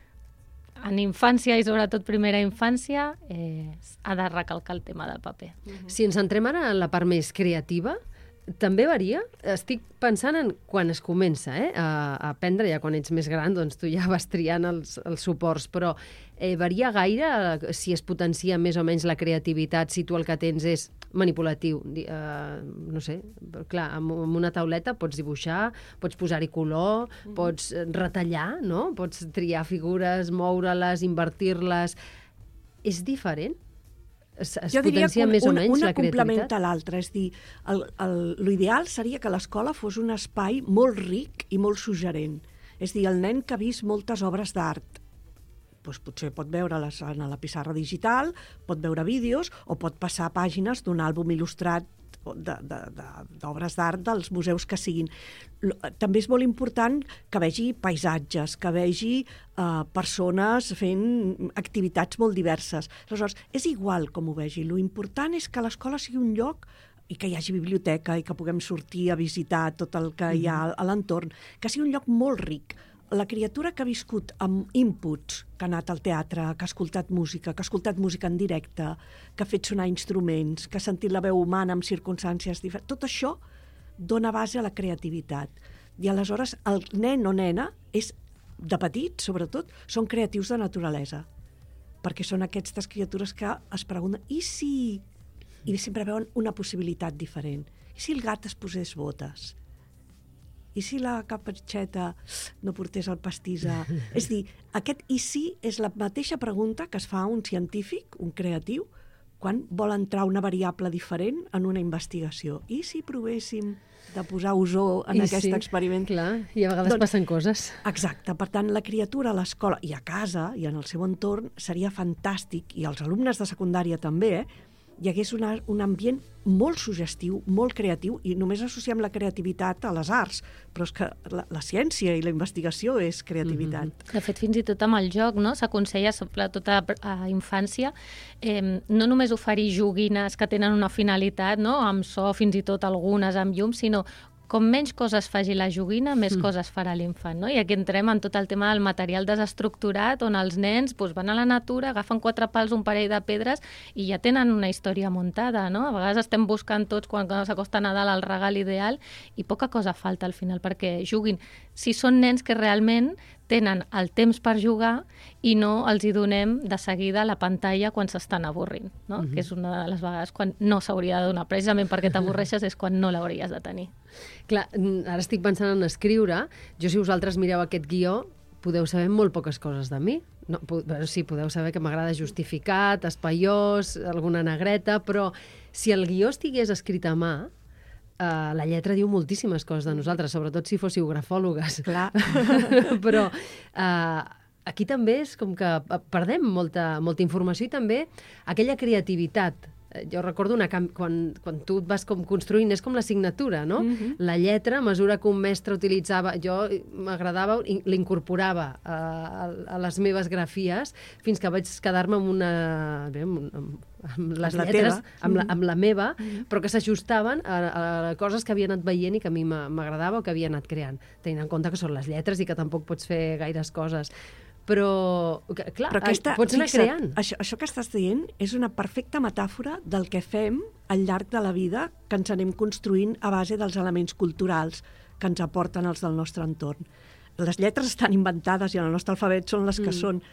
en infància i sobretot primera infància ha de recalcar el tema del paper. Si ens centrem ara en la part més creativa, també varia? Estic pensant en quan es comença a aprendre, ja quan ets més gran, doncs tu ja vas triant els suports, però varia gaire si es potencia més o menys la creativitat, si tu el que tens és manipulatiu. No sé, clar, amb una tauleta pots dibuixar, pots posar-hi color, pots retallar, no? Pots triar figures, moure-les, invertir-les. és diferent? Es Jo diria potencia que més o menys una la creativitat? complementa l'altra. És dir, l'ideal seria que l'escola fos un espai molt ric i molt suggerent. És dir, el nen que ha vist moltes obres d'art, doncs potser pot veure-les a la pissarra digital, pot veure vídeos o pot passar pàgines d'un àlbum il·lustrat d'obres d'art dels museus que siguin. També és molt important que vegi paisatges, que vegi persones fent activitats molt diverses. Aleshores, és igual com ho vegi. Lo important és que l'escola sigui un lloc i que hi hagi biblioteca i que puguem sortir a visitar tot el que hi ha a l'entorn, que sigui un lloc molt ric. La criatura que ha viscut amb inputs, que ha anat al teatre, que ha escoltat música en directe, que ha fet sonar instruments, que ha sentit la veu humana en circumstàncies diferents, tot això dona base a la creativitat. I aleshores el nen o nena, de petit sobretot, són creatius de naturalesa, perquè són aquestes criatures que es pregunten i si... I sempre veuen una possibilitat diferent. I si el gat es posés botes? I si la capatxeta no portés el pastís a... És dir, aquest i si és la mateixa pregunta que es fa un científic, un creatiu, quan vol entrar una variable diferent en una investigació. I si provéssim de posar ozó en aquest experiment? Clar, i a vegades passen coses. Exacte. Per tant, la criatura a l'escola i a casa i en el seu entorn seria fantàstic, i els alumnes de secundària també, hi hagués un ambient molt suggestiu, molt creatiu, i només associem la creativitat a les arts, però és que la ciència i la investigació és creativitat. De fet, fins i tot amb el joc, no? S'aconsella, sobretot a infància, no només oferir joguines que tenen una finalitat, no? Amb so, fins i tot algunes amb llum, sinó com menys coses faci la joguina, més coses farà l'infant, no? I aquí entrem en tot el tema del material desestructurat, on els nens van a la natura, agafen 4 pals, un parell de pedres, i ja tenen una història muntada, no? A vegades estem buscant tots, quan s'acosta Nadal, el regal ideal, i poca cosa falta al final perquè juguin. Si són nens que realment tenen el temps per jugar i no els hi donem de seguida la pantalla quan s'estan avorrint, no? Que és una de les vegades quan no s'hauria de donar. Precisament perquè t'avorreixes és quan no l'hauries de tenir. Clar, ara estic pensant en escriure. Jo, si vosaltres mireu aquest guió, podeu saber molt poques coses de mi. No, sí, podeu saber que m'agrada justificat, espaiós, alguna negreta, però si el guió estigués escrit a mà, la lletra diu moltíssimes coses de nosaltres, sobretot si fóssiu grafòlogues. Clar. Però aquí també és com que perdem molta informació i també aquella creativitat. Jo recordo quan tu et vas construint, és com la signatura, no? La lletra, a mesura que un mestre utilitzava, jo m'agradava, l'incorporava a les meves grafies, fins que vaig quedar-me amb les lletres, amb la meva, però que s'ajustaven a coses que havia anat veient i que a mi m'agradava o que havia anat creant, tenint en compte que són les lletres i que tampoc pots fer gaires coses. Però, clar, pots anar creant. Això que estàs dient és una perfecta metàfora del que fem al llarg de la vida, que ens anem construint a base dels elements culturals que ens aporten els del nostre entorn. Les lletres estan inventades i en el nostre alfabet són les que són,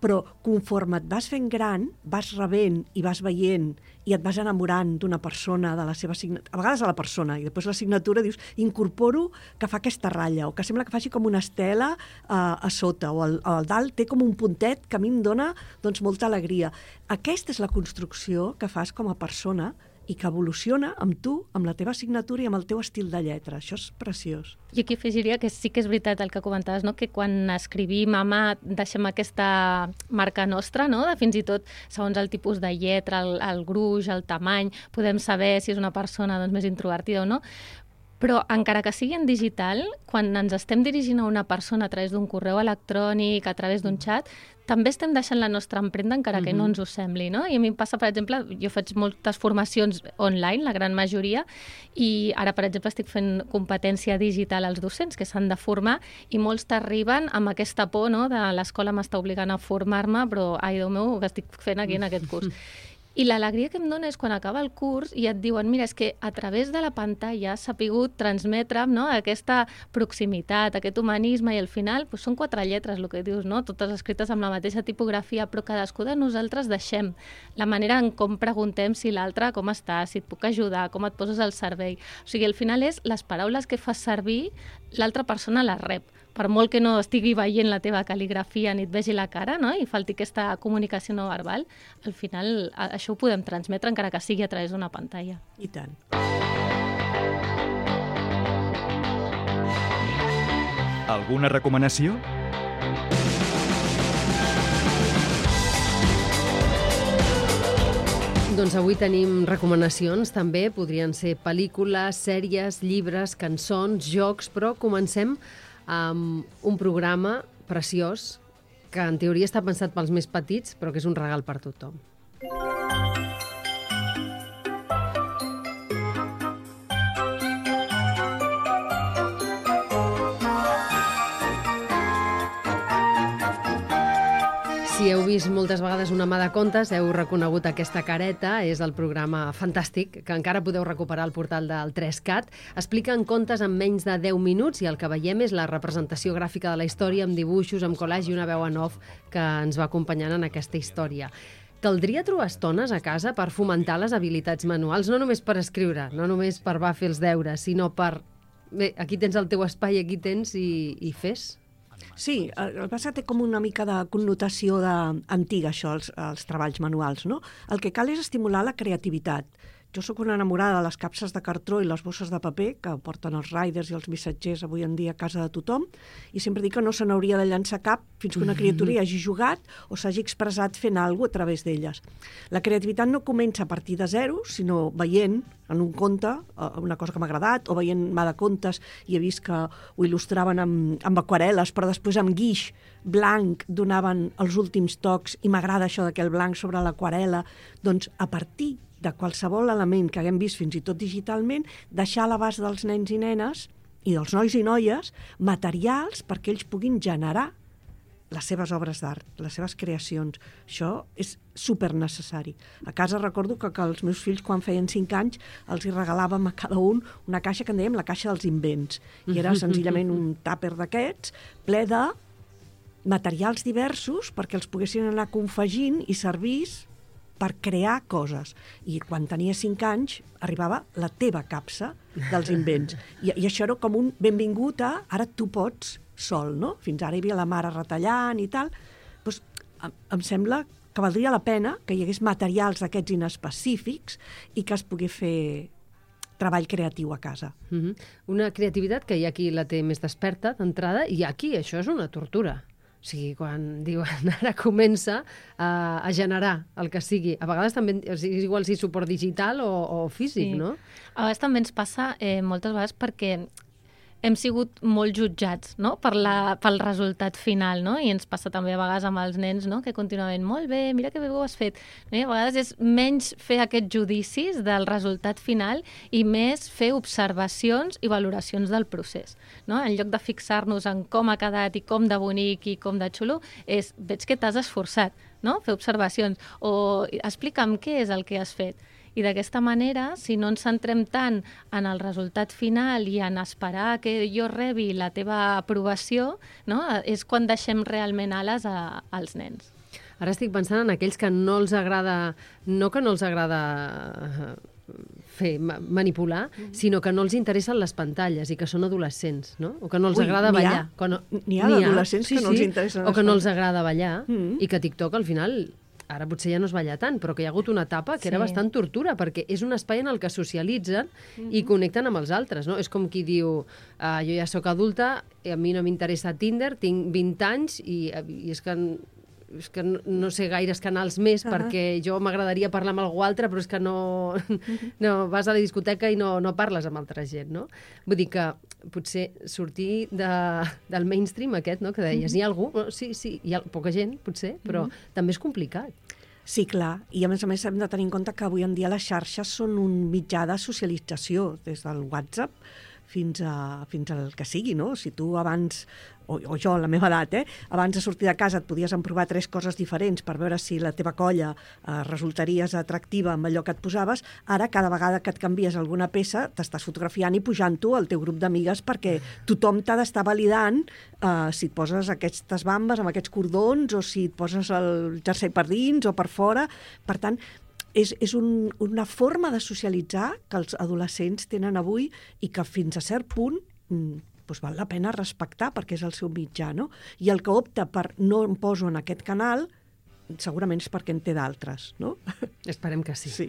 però conforme et vas fent gran, vas rebent i vas veient i et vas enamorant d'una persona, de la seva signatura, a vegades a la persona, i després la signatura dius, incorporo que fa aquesta ratlla, o que sembla que faci com una estela a sota, o al dalt té com un puntet que a mi em dona molta alegria. Aquesta és la construcció que fas com a persona i que evoluciona amb tu, amb la teva signatura i amb el teu estil de lletra. Això és preciós. I aquí afegiria que sí que és veritat el que comentaves, no? Que quan escrivim a mà deixem aquesta marca nostra, no? De fins i tot, segons el tipus de lletra, el gruix, el tamany, podem saber si és una persona més introvertida o no. Però encara que sigui en digital, quan ens estem dirigint a una persona a través d'un correu electrònic, a través d'un xat, també estem deixant la nostra empremta encara que no ens ho sembli, no? I a mi em passa, per exemple, jo faig moltes formacions online, la gran majoria, i ara, per exemple, estic fent competència digital als docents que s'han de formar i molts t'arriben amb aquesta por, no?, de l'escola m'està obligant a formar-me, però, ai, Déu meu, què estic fent aquí en aquest curs? I l'alegria que em dona és quan acaba el curs i et diuen, mira, és que a través de la pantalla s'ha pogut transmetre, no?, aquesta proximitat, aquest humanisme, i al final són 4 lletres, el que dius, no?, totes escrites amb la mateixa tipografia, però cadascú de nosaltres deixem la manera en com preguntem si l'altre com està, si et puc ajudar, com et poses al servei. O sigui, al final és les paraules que fas servir, l'altra persona les rep. per molt que no estigui veient la teva cal·ligrafia ni et vegi la cara, no? I falti aquesta comunicació no verbal, al final això ho podem transmetre encara que sigui a través d'una pantalla. I tant. Alguna recomanació? Doncs avui tenim recomanacions, també. Podrien ser pel·lícules, sèries, llibres, cançons, jocs, però comencem amb un programa preciós que en teoria està pensat pels més petits, però que és un regal per tothom. Si heu vist moltes vegades Una mà de contes, heu reconegut aquesta careta, és el programa fantàstic que encara podeu recuperar al portal del 3CAT. Expliquen contes en menys de 10 minuts i el que veiem és la representació gràfica de la història amb dibuixos, amb collage i una veu en off que ens va acompanyant en aquesta història. Caldria trobar estones a casa per fomentar les habilitats manuals, no només per escriure, no només per fer els deures, sinó per... Bé, aquí tens el teu espai, aquí tens i fes. Sí, el que passa té com una mica de connotació antiga, això, els treballs manuals, no? El que cal és estimular la creativitat. Jo sóc una enamorada de les capses de cartró i les bosses de paper que porten els riders i els missatgers avui en dia a casa de tothom, i sempre dic que no se n'hauria de llançar cap fins que una criatura hi hagi jugat o s'hagi expressat fent alguna cosa a través d'elles. La creativitat no comença a partir de zero, sinó veient en un conte una cosa que m'ha agradat, o veient mà de contes i he vist que ho il·lustraven amb aquarel·les, però després amb guix blanc donaven els últims tocs i m'agrada això de que el blanc sobre l'aquarel·la. Doncs a partir de qualsevol element que haguem vist fins i tot digitalment, deixar a l'abast dels nens i nenes i dels nois i noies materials perquè ells puguin generar les seves obres d'art, les seves creacions. Això és supernecessari. A casa recordo que els meus fills, quan feien 5 anys, els hi regalàvem a cada un una caixa que en dèiem la caixa dels invents. I era senzillament un tàper d'aquests ple de materials diversos perquè els poguessin anar confegint i servir per crear coses. I quan tenia 5 anys arribava la teva capsa dels invents. I això era com un benvingut a ara tu pots sol, no? Fins ara hi havia la mare retallant i tal. Doncs em sembla que valdria la pena que hi hagués materials d'aquests inespecífics i que es pogués fer treball creatiu a casa. Una creativitat que hi ha qui la té més desperta d'entrada i aquí això és una tortura. O sigui, quan diuen ara comença a generar el que sigui. A vegades també és igual si suport digital o físic, no? A vegades també ens passa moltes vegades perquè hem sigut molt jutjats, no? pel resultat final, no? I ens passa també a vegades amb els nens, no? Que continuaven molt bé, mira que bé ho has fet. No? I a vegades és menys fer aquests judicis del resultat final i més fer observacions i valoracions del procés. No? En lloc de fixar-nos en com ha quedat i com de bonic i com de xulo, veig que t'has esforçat, no? Fer observacions o explica'm què és el que has fet. I d'aquesta manera, si no ens centrem tant en el resultat final i en esperar que jo rebi la teva aprovació, no? És quan deixem realment ales als nens. Ara estic pensant en aquells que no els agrada, no que no els agrada manipular, sinó que no els interessen les pantalles i que són adolescents, no? O que no els agrada ballar. N'hi ha d'adolescents que no els interessen les pantalles. O que no els agrada ballar i que TikTok al final... Ara potser ja no es balla tant, però que hi ha hagut una etapa que era bastant tortura, perquè és un espai en el que socialitzen i connecten amb els altres, no? És com qui diu, jo ja sóc adulta, a mi no m'interessa Tinder, tinc 20 anys i és que no sé gaires canals més perquè jo m'agradaria parlar amb algú altre, però és que no vas a la discoteca i no parles amb altra gent, no? Vull dir que potser sortir del mainstream aquest, no? Que deies, hi ha algú? Sí, hi ha poca gent, potser, però també és complicat. Sí, clar, i a més hem de tenir en compte que avui en dia les xarxes són un mitjà de socialització, des del WhatsApp fins al que sigui, no? Si tu abans, o jo, a la meva edat, abans de sortir de casa et podies emprovar 3 coses diferents per veure si la teva colla resultaries atractiva amb allò que et posaves, ara cada vegada que et canvies alguna peça t'estàs fotografiant i pujant-ho al teu grup d'amigues perquè tothom t'ha d'estar validant si et poses aquestes bambes amb aquests cordons o si et poses el jersei per dins o per fora. Per tant, és una forma de socialitzar que els adolescents tenen avui i que fins a cert punt doncs val la pena respectar perquè és el seu mitjà, no? I el que opta per no em poso en aquest canal segurament és perquè en té d'altres, no? Esperem que sí. Sí.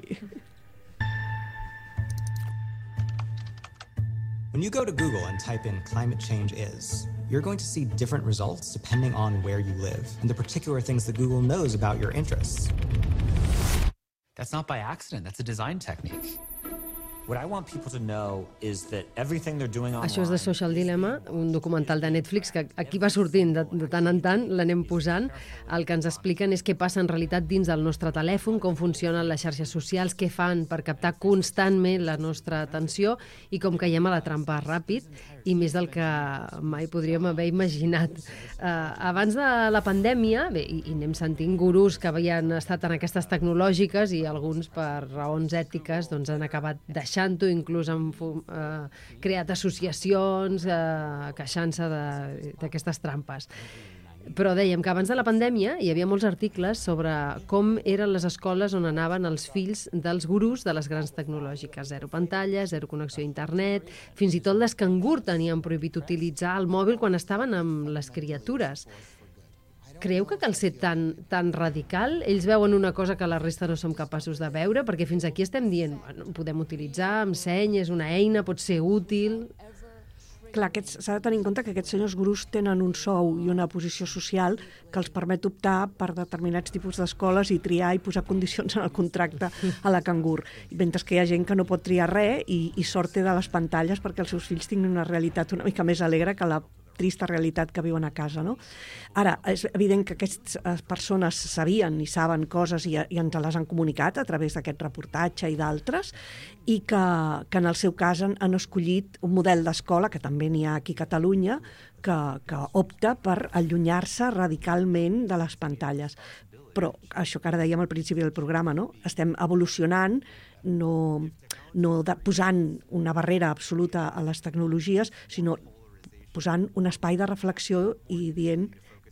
When you go to Google and type in climate change is, you're going to see different results depending on where you live and the particular things that Google knows about your interests. That's not by accident, that's a design technique. What I want people to know is that everything they're doing online... Això és The Social Dilemma, un documental de Netflix que aquí va sortint de tant en tant, l'anem posant. El que ens expliquen és què passa en realitat dins del nostre telèfon, com funcionen les xarxes socials, què fan per captar constantment la nostra atenció i com caiem a la trampa ràpid, i més del que mai podríem haver imaginat. Abans de la pandèmia, bé, i anem sentint gurús que havien estat en aquestes tecnològiques i alguns per raons ètiques doncs, han acabat deixant-ho, inclús han creat associacions queixant-se d'aquestes trampes. Però dèiem que abans de la pandèmia hi havia molts articles sobre com eren les escoles on anaven els fills dels gurús de les grans tecnològiques. 0 pantalles, 0 connexió a internet, fins i tot les cangur tenien prohibit utilitzar el mòbil quan estaven amb les criatures. Creieu que cal ser tan radical? Ells veuen una cosa que la resta no som capaços de veure? Perquè fins aquí estem dient, bueno, podem utilitzar amb seny, és una eina, pot ser útil... Clar, s'ha de tenir en compte que aquests senyors gurús tenen un sou i una posició social que els permet optar per determinats tipus d'escoles i triar i posar condicions en el contracte a la cangur. Mentre que hi ha gent que no pot triar res i sort té de les pantalles perquè els seus fills tinguin una realitat una mica més alegre que la trista realitat que viuen a casa, no? Ara, és evident que aquestes persones sabien i saben coses i ens les han comunicat a través d'aquest reportatge i d'altres, i que en el seu cas han escollit un model d'escola, que també n'hi ha aquí a Catalunya, que opta per allunyar-se radicalment de les pantalles. Però això que ara dèiem al principi del programa, no? Estem evolucionant, no posant una barrera absoluta a les tecnologies, sinó posant un espai de reflexió i dient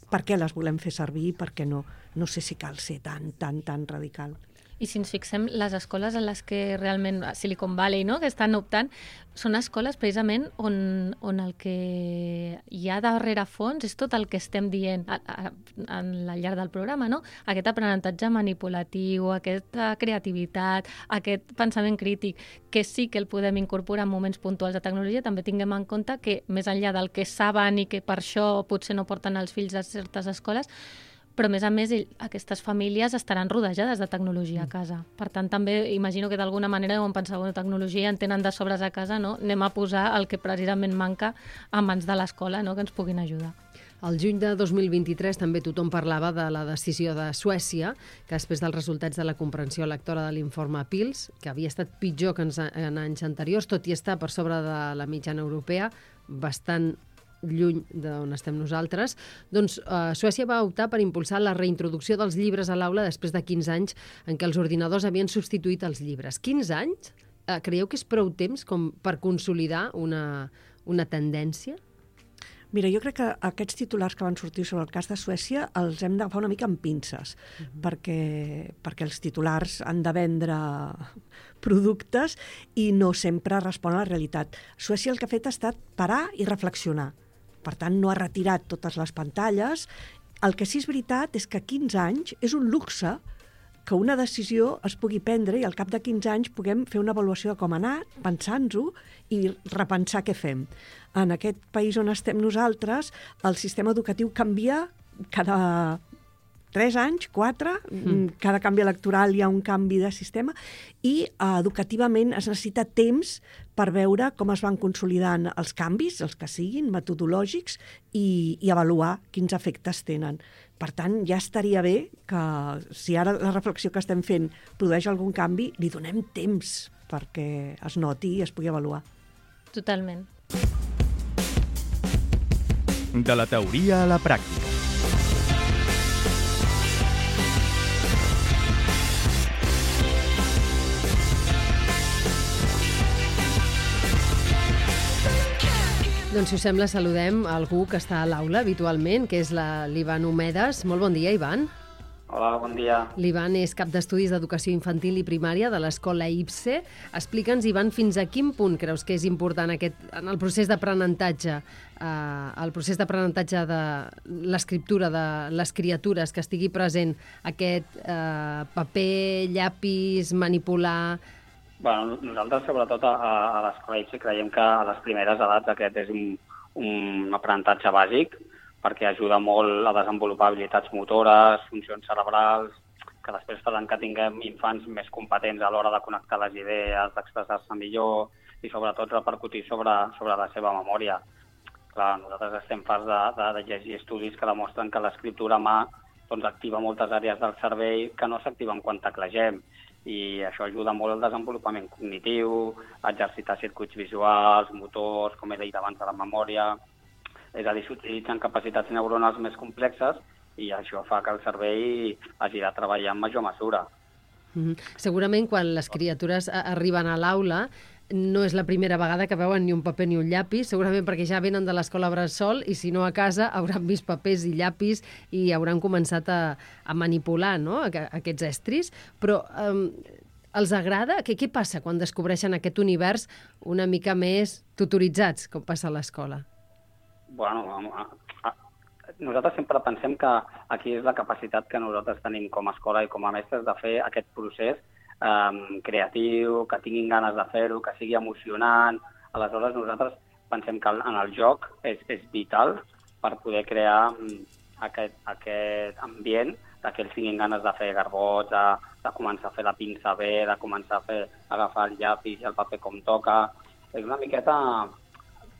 per què les volem fer servir i per què no. No sé si cal ser tan radical. I si ens fixem, les escoles en les que realment, Silicon Valley, no?, que estan optant, són escoles precisament on el que hi ha darrere fons és tot el que estem dient al llarg del programa, no? Aquest aprenentatge manipulatiu, aquesta creativitat, aquest pensament crític, que sí que el podem incorporar en moments puntuals de tecnologia, també tinguem en compte que més enllà del que saben i que per això potser no porten els fills a certes escoles, però a més, aquestes famílies estaran rodejades de tecnologia a casa. Per tant, també imagino que d'alguna manera deuen pensar, bueno, tecnologia en tenen de sobres a casa, no? Anem a posar el que precisament manca a mans de l'escola, no?, que ens puguin ajudar. Al juny de 2023 també tothom parlava de la decisió de Suècia, que després dels resultats de la comprensió lectora de l'informe PILS, que havia estat pitjor que en anys anteriors, tot i estar per sobre de la mitjana europea, bastant lluny d'on estem nosaltres, doncs Suècia va optar per impulsar la reintroducció dels llibres a l'aula després de 15 anys en què els ordinadors havien substituït els llibres. 15 anys? Creieu que és prou temps com per consolidar una tendència? Mira, jo crec que aquests titulars que van sortir sobre el cas de Suècia els hem d'agafar una mica amb pinces, perquè els titulars han de vendre productes i no sempre respon a la realitat. Suècia el que ha fet ha estat parar i reflexionar. Per tant, no ha retirat totes les pantalles. El que sí és veritat és que 15 anys és un luxe que una decisió es pugui prendre i al cap de 15 anys puguem fer una avaluació de com ha anat, pensant-ho i repensar què fem. En aquest país on estem nosaltres, el sistema educatiu canvia cada 3 anys, 4, cada canvi electoral hi ha un canvi de sistema i educativament es necessita temps per veure com es van consolidant els canvis, els que siguin, metodològics, i avaluar quins efectes tenen. Per tant, ja estaria bé que, si ara la reflexió que estem fent produeix algun canvi, li donem temps perquè es noti i es pugui avaluar. Totalment. De la teoria a la pràctica. Doncs, si us sembla, saludem algú que està a l'aula habitualment, que és l'Ivan Homedes. Molt bon dia, Ivan. Hola, bon dia. L'Ivan és cap d'estudis d'educació infantil i primària de l'escola IPSE. Explica'ns, Ivan, fins a quin punt creus que és important en el procés d'aprenentatge, de l'escriptura de les criatures, que estigui present aquest paper, llapis, manipular... Bueno, nosaltres, sobretot a l'escola IPSE, creiem que a les primeres edats aquest és un aprenentatge bàsic, perquè ajuda molt a desenvolupar habilitats motores, funcions cerebrals, que després faran que tinguem infants més competents a l'hora de connectar les idees, d'expressar-se millor i sobretot repercutir sobre la seva memòria. Clar, nosaltres estem farts de llegir estudis que demostren que l'escriptura a mà doncs, activa moltes àrees del cervell que no s'activen quan teclegem, i això ajuda molt al desenvolupament cognitiu, a exercitar circuits visuals, motors, com he dit abans, de la memòria. És a dir, s'utilitzen capacitats neuronals més complexes i això fa que el cervell hagi de treballar en major mesura. Segurament quan les criatures arriben a l'aula no és la primera vegada que veuen ni un paper ni un llapis, segurament perquè ja venen de l'escola bressol i si no a casa hauran vist papers i llapis i hauran començat a manipular, no?, aquests estris. Però els agrada? Què passa quan descobreixen aquest univers una mica més tutoritzats, com passa a l'escola? Bueno, nosaltres sempre pensem que aquí és la capacitat que nosaltres tenim com a escola i com a mestres de fer aquest procés creatiu, que tinguin ganes de fer-ho, que sigui emocionant. Aleshores, nosaltres pensem que en el joc és vital per poder crear aquest ambient que ells tinguin ganes de fer garbots, de començar a fer la pinça bé, de començar a agafar el llapis i el paper com toca. És una miqueta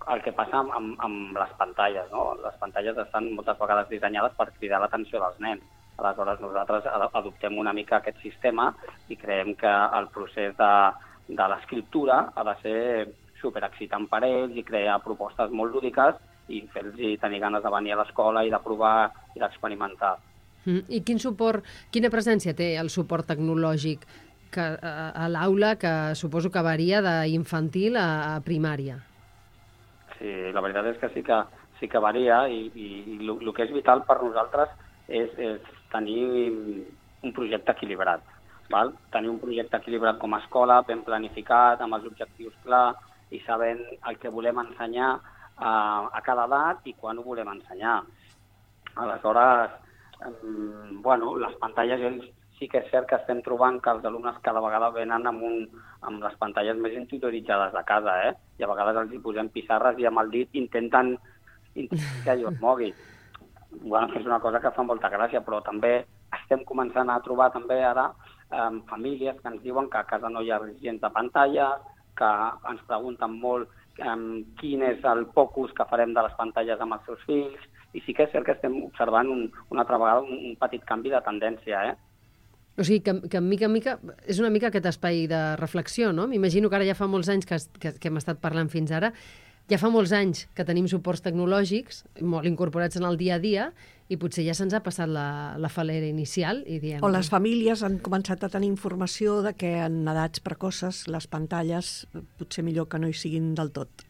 el que passa amb les pantalles, no? Les pantalles estan moltes vegades dissenyades per cridar l'atenció dels nens. Aleshores, nosaltres adoptem una mica aquest sistema i creiem que el procés de l'escriptura ha de ser superexcitant per ells i crear propostes molt lúdiques i fer-los tenir ganes de venir a l'escola i de provar i d'experimentar. I quina presència té el suport tecnològic a l'aula, que suposo que varia d'infantil a primària? Sí, la veritat és que sí que varia i el que és vital per nosaltres és tenir un projecte equilibrat. Val? Tenir un projecte equilibrat com a escola, ben planificat, amb els objectius clars i sabent el que volem ensenyar a cada edat i quan ho volem ensenyar. Aleshores, les pantalles, sí que és cert que estem trobant que els alumnes cada vegada venen amb les pantalles més interioritzades de casa, i a vegades els hi posem pissarres i amb el dit intenten que allò es mogui. És una cosa que fa molta gràcia, però també estem començant a trobar també ara famílies que ens diuen que a casa no hi ha gens de pantalles, que ens pregunten molt quin és el focus que farem de les pantalles amb els seus fills, i sí que és cert que estem observant una altra vegada un petit canvi de tendència, O sigui, que mica en mica és una mica aquest espai de reflexió, no? M'imagino que ara ja fa molts anys que hem estat parlant fins ara, ja fa molts anys que tenim suports tecnològics molt incorporats en el dia a dia i potser ja se'ns ha passat la falera inicial i diem... O les famílies han començat a tenir informació de que en edats precoces les pantalles potser millor que no hi siguin del tot.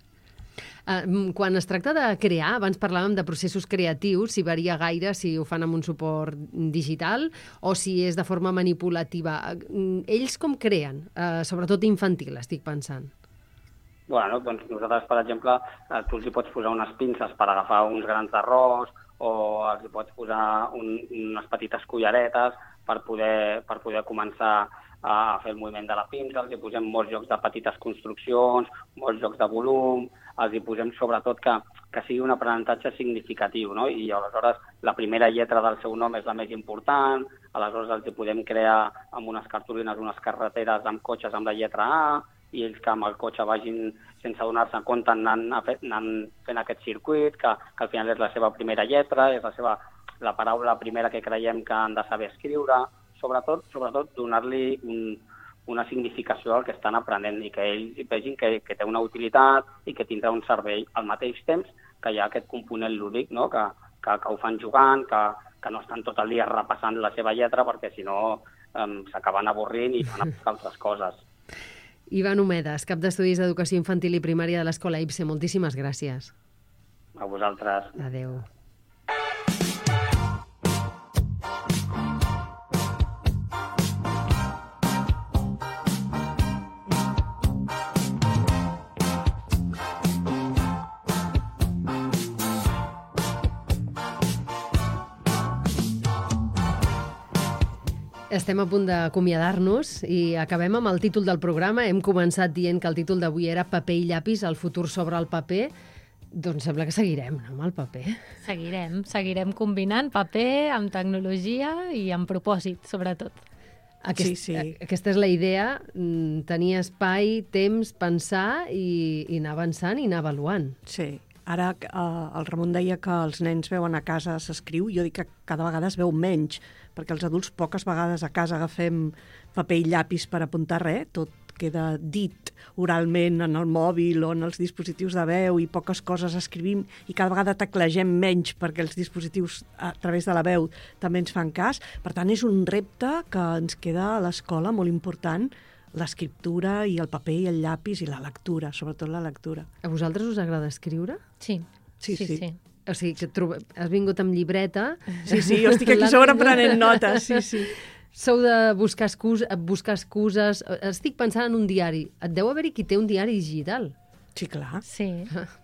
Quan es tracta de crear, abans parlàvem de processos creatius, si varia gaire si ho fan amb un suport digital o si és de forma manipulativa. Ells com creen? Sobretot infantil, estic pensant. Bueno, doncs nosaltres, per exemple, tu els hi pots posar unes pinces per agafar uns grans d'arròs o els hi pots posar unes petites culleretes per poder començar a fer el moviment de la pinça, els hi posem molts jocs de petites construccions, molts jocs de volum, els hi posem sobretot que sigui un aprenentatge significatiu, no? I aleshores la primera lletra del seu nom és la més important, aleshores els hi podem crear amb unes cartolines, unes carreteres amb cotxes amb la lletra A, i ells que amb el cotxe vagin sense donar-se compte anant fent aquest circuit, que al final és la seva primera lletra, és la paraula primera que creiem que han de saber escriure, sobretot donar-li una significació al que estan aprenent i que ells vegin que té una utilitat i que tindrà un servei al mateix temps que hi ha aquest component lúdic, no? que ho fan jugant, que no estan tot el dia repassant la seva lletra perquè si no s'acaben avorrint i van a buscar altres coses. Ivan Homedes, cap d'estudis d'educació infantil i primària de l'escola IPSE, moltíssimes gràcies. A vosaltres. Adéu. Estem a punt d'acomiadar-nos i acabem amb el títol del programa. Hem començat dient que el títol d'avui era Paper i llapis, el futur sobre el paper. Doncs sembla que seguirem, no, amb el paper. Seguirem combinant paper amb tecnologia i amb propòsit, sobretot. Sí. Aquesta és la idea, tenir espai, temps, pensar i anar avançant i anar avaluant. Sí. Ara el Ramon deia que els nens veuen a casa s'escriu, jo dic que cada vegada es veu menys, perquè els adults poques vegades a casa agafem paper i llapis per apuntar res, tot queda dit oralment en el mòbil o en els dispositius de veu i poques coses escrivim i cada vegada teclegem menys perquè els dispositius a través de la veu també ens fan cas. Per tant, és un repte que ens queda a l'escola molt important, l'escriptura i el paper i el llapis i la lectura, sobretot la lectura. A vosaltres us agrada escriure? Sí. O sigui, que has vingut amb llibreta... Sí, jo estic aquí sobre prenent notes, sí. Sou de buscar excuses... Estic pensant en un diari. Et deu haver-hi qui té un diari digital. Sí, clar. Sí.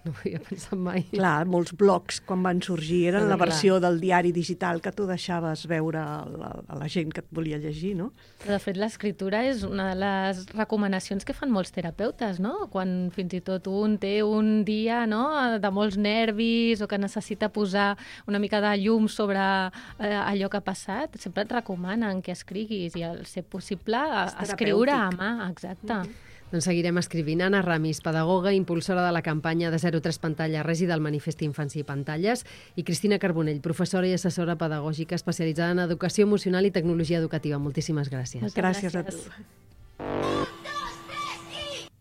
No ho havia pensat mai. Clar, molts blogs, quan van sorgir, eren la versió del diari digital que tu deixaves veure a la gent que et volia llegir, no? Però, de fet, l'escriptura és una de les recomanacions que fan molts terapeutes, no? Quan fins i tot un té un dia, no?, de molts nervis o que necessita posar una mica de llum sobre allò que ha passat, sempre et recomanen que escriguis i, al ser possible, escriure a mà. Exacte. Doncs seguirem escrivint. Anna Ramis, pedagoga, impulsora de la campanya de 0-3 Pantalla Resi del Manifest Infants i Pantalles, i Cristina Carbonell, professora i assessora pedagògica especialitzada en educació emocional i tecnologia educativa. Moltíssimes gràcies. Gràcies a tu.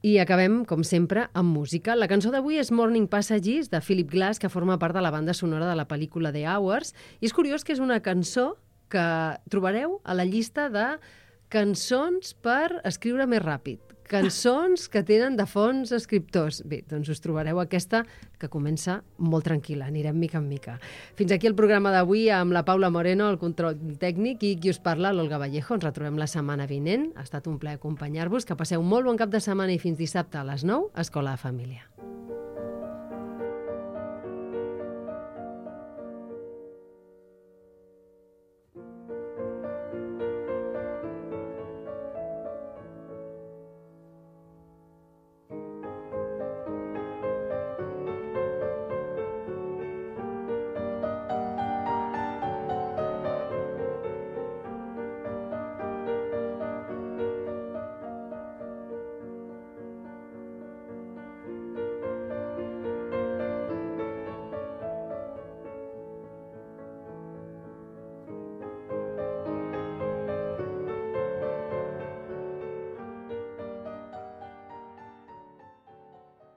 I acabem, com sempre, amb música. La cançó d'avui és Morning Passages, de Philip Glass, que forma part de la banda sonora de la pel·lícula The Hours. I és curiós que és una cançó que trobareu a la llista de cançons per escriure més ràpid. Cançons que tenen de fons escriptors. Bé, doncs us trobareu aquesta que comença molt tranquil·la, anirem mica en mica. Fins aquí el programa d'avui amb la Paula Moreno, el control tècnic, i qui us parla, l'Olga Vallejo. Ens retrobem la setmana vinent. Ha estat un plaer acompanyar-vos. Que passeu un molt bon cap de setmana i fins dissabte a les 9, Escola de Família.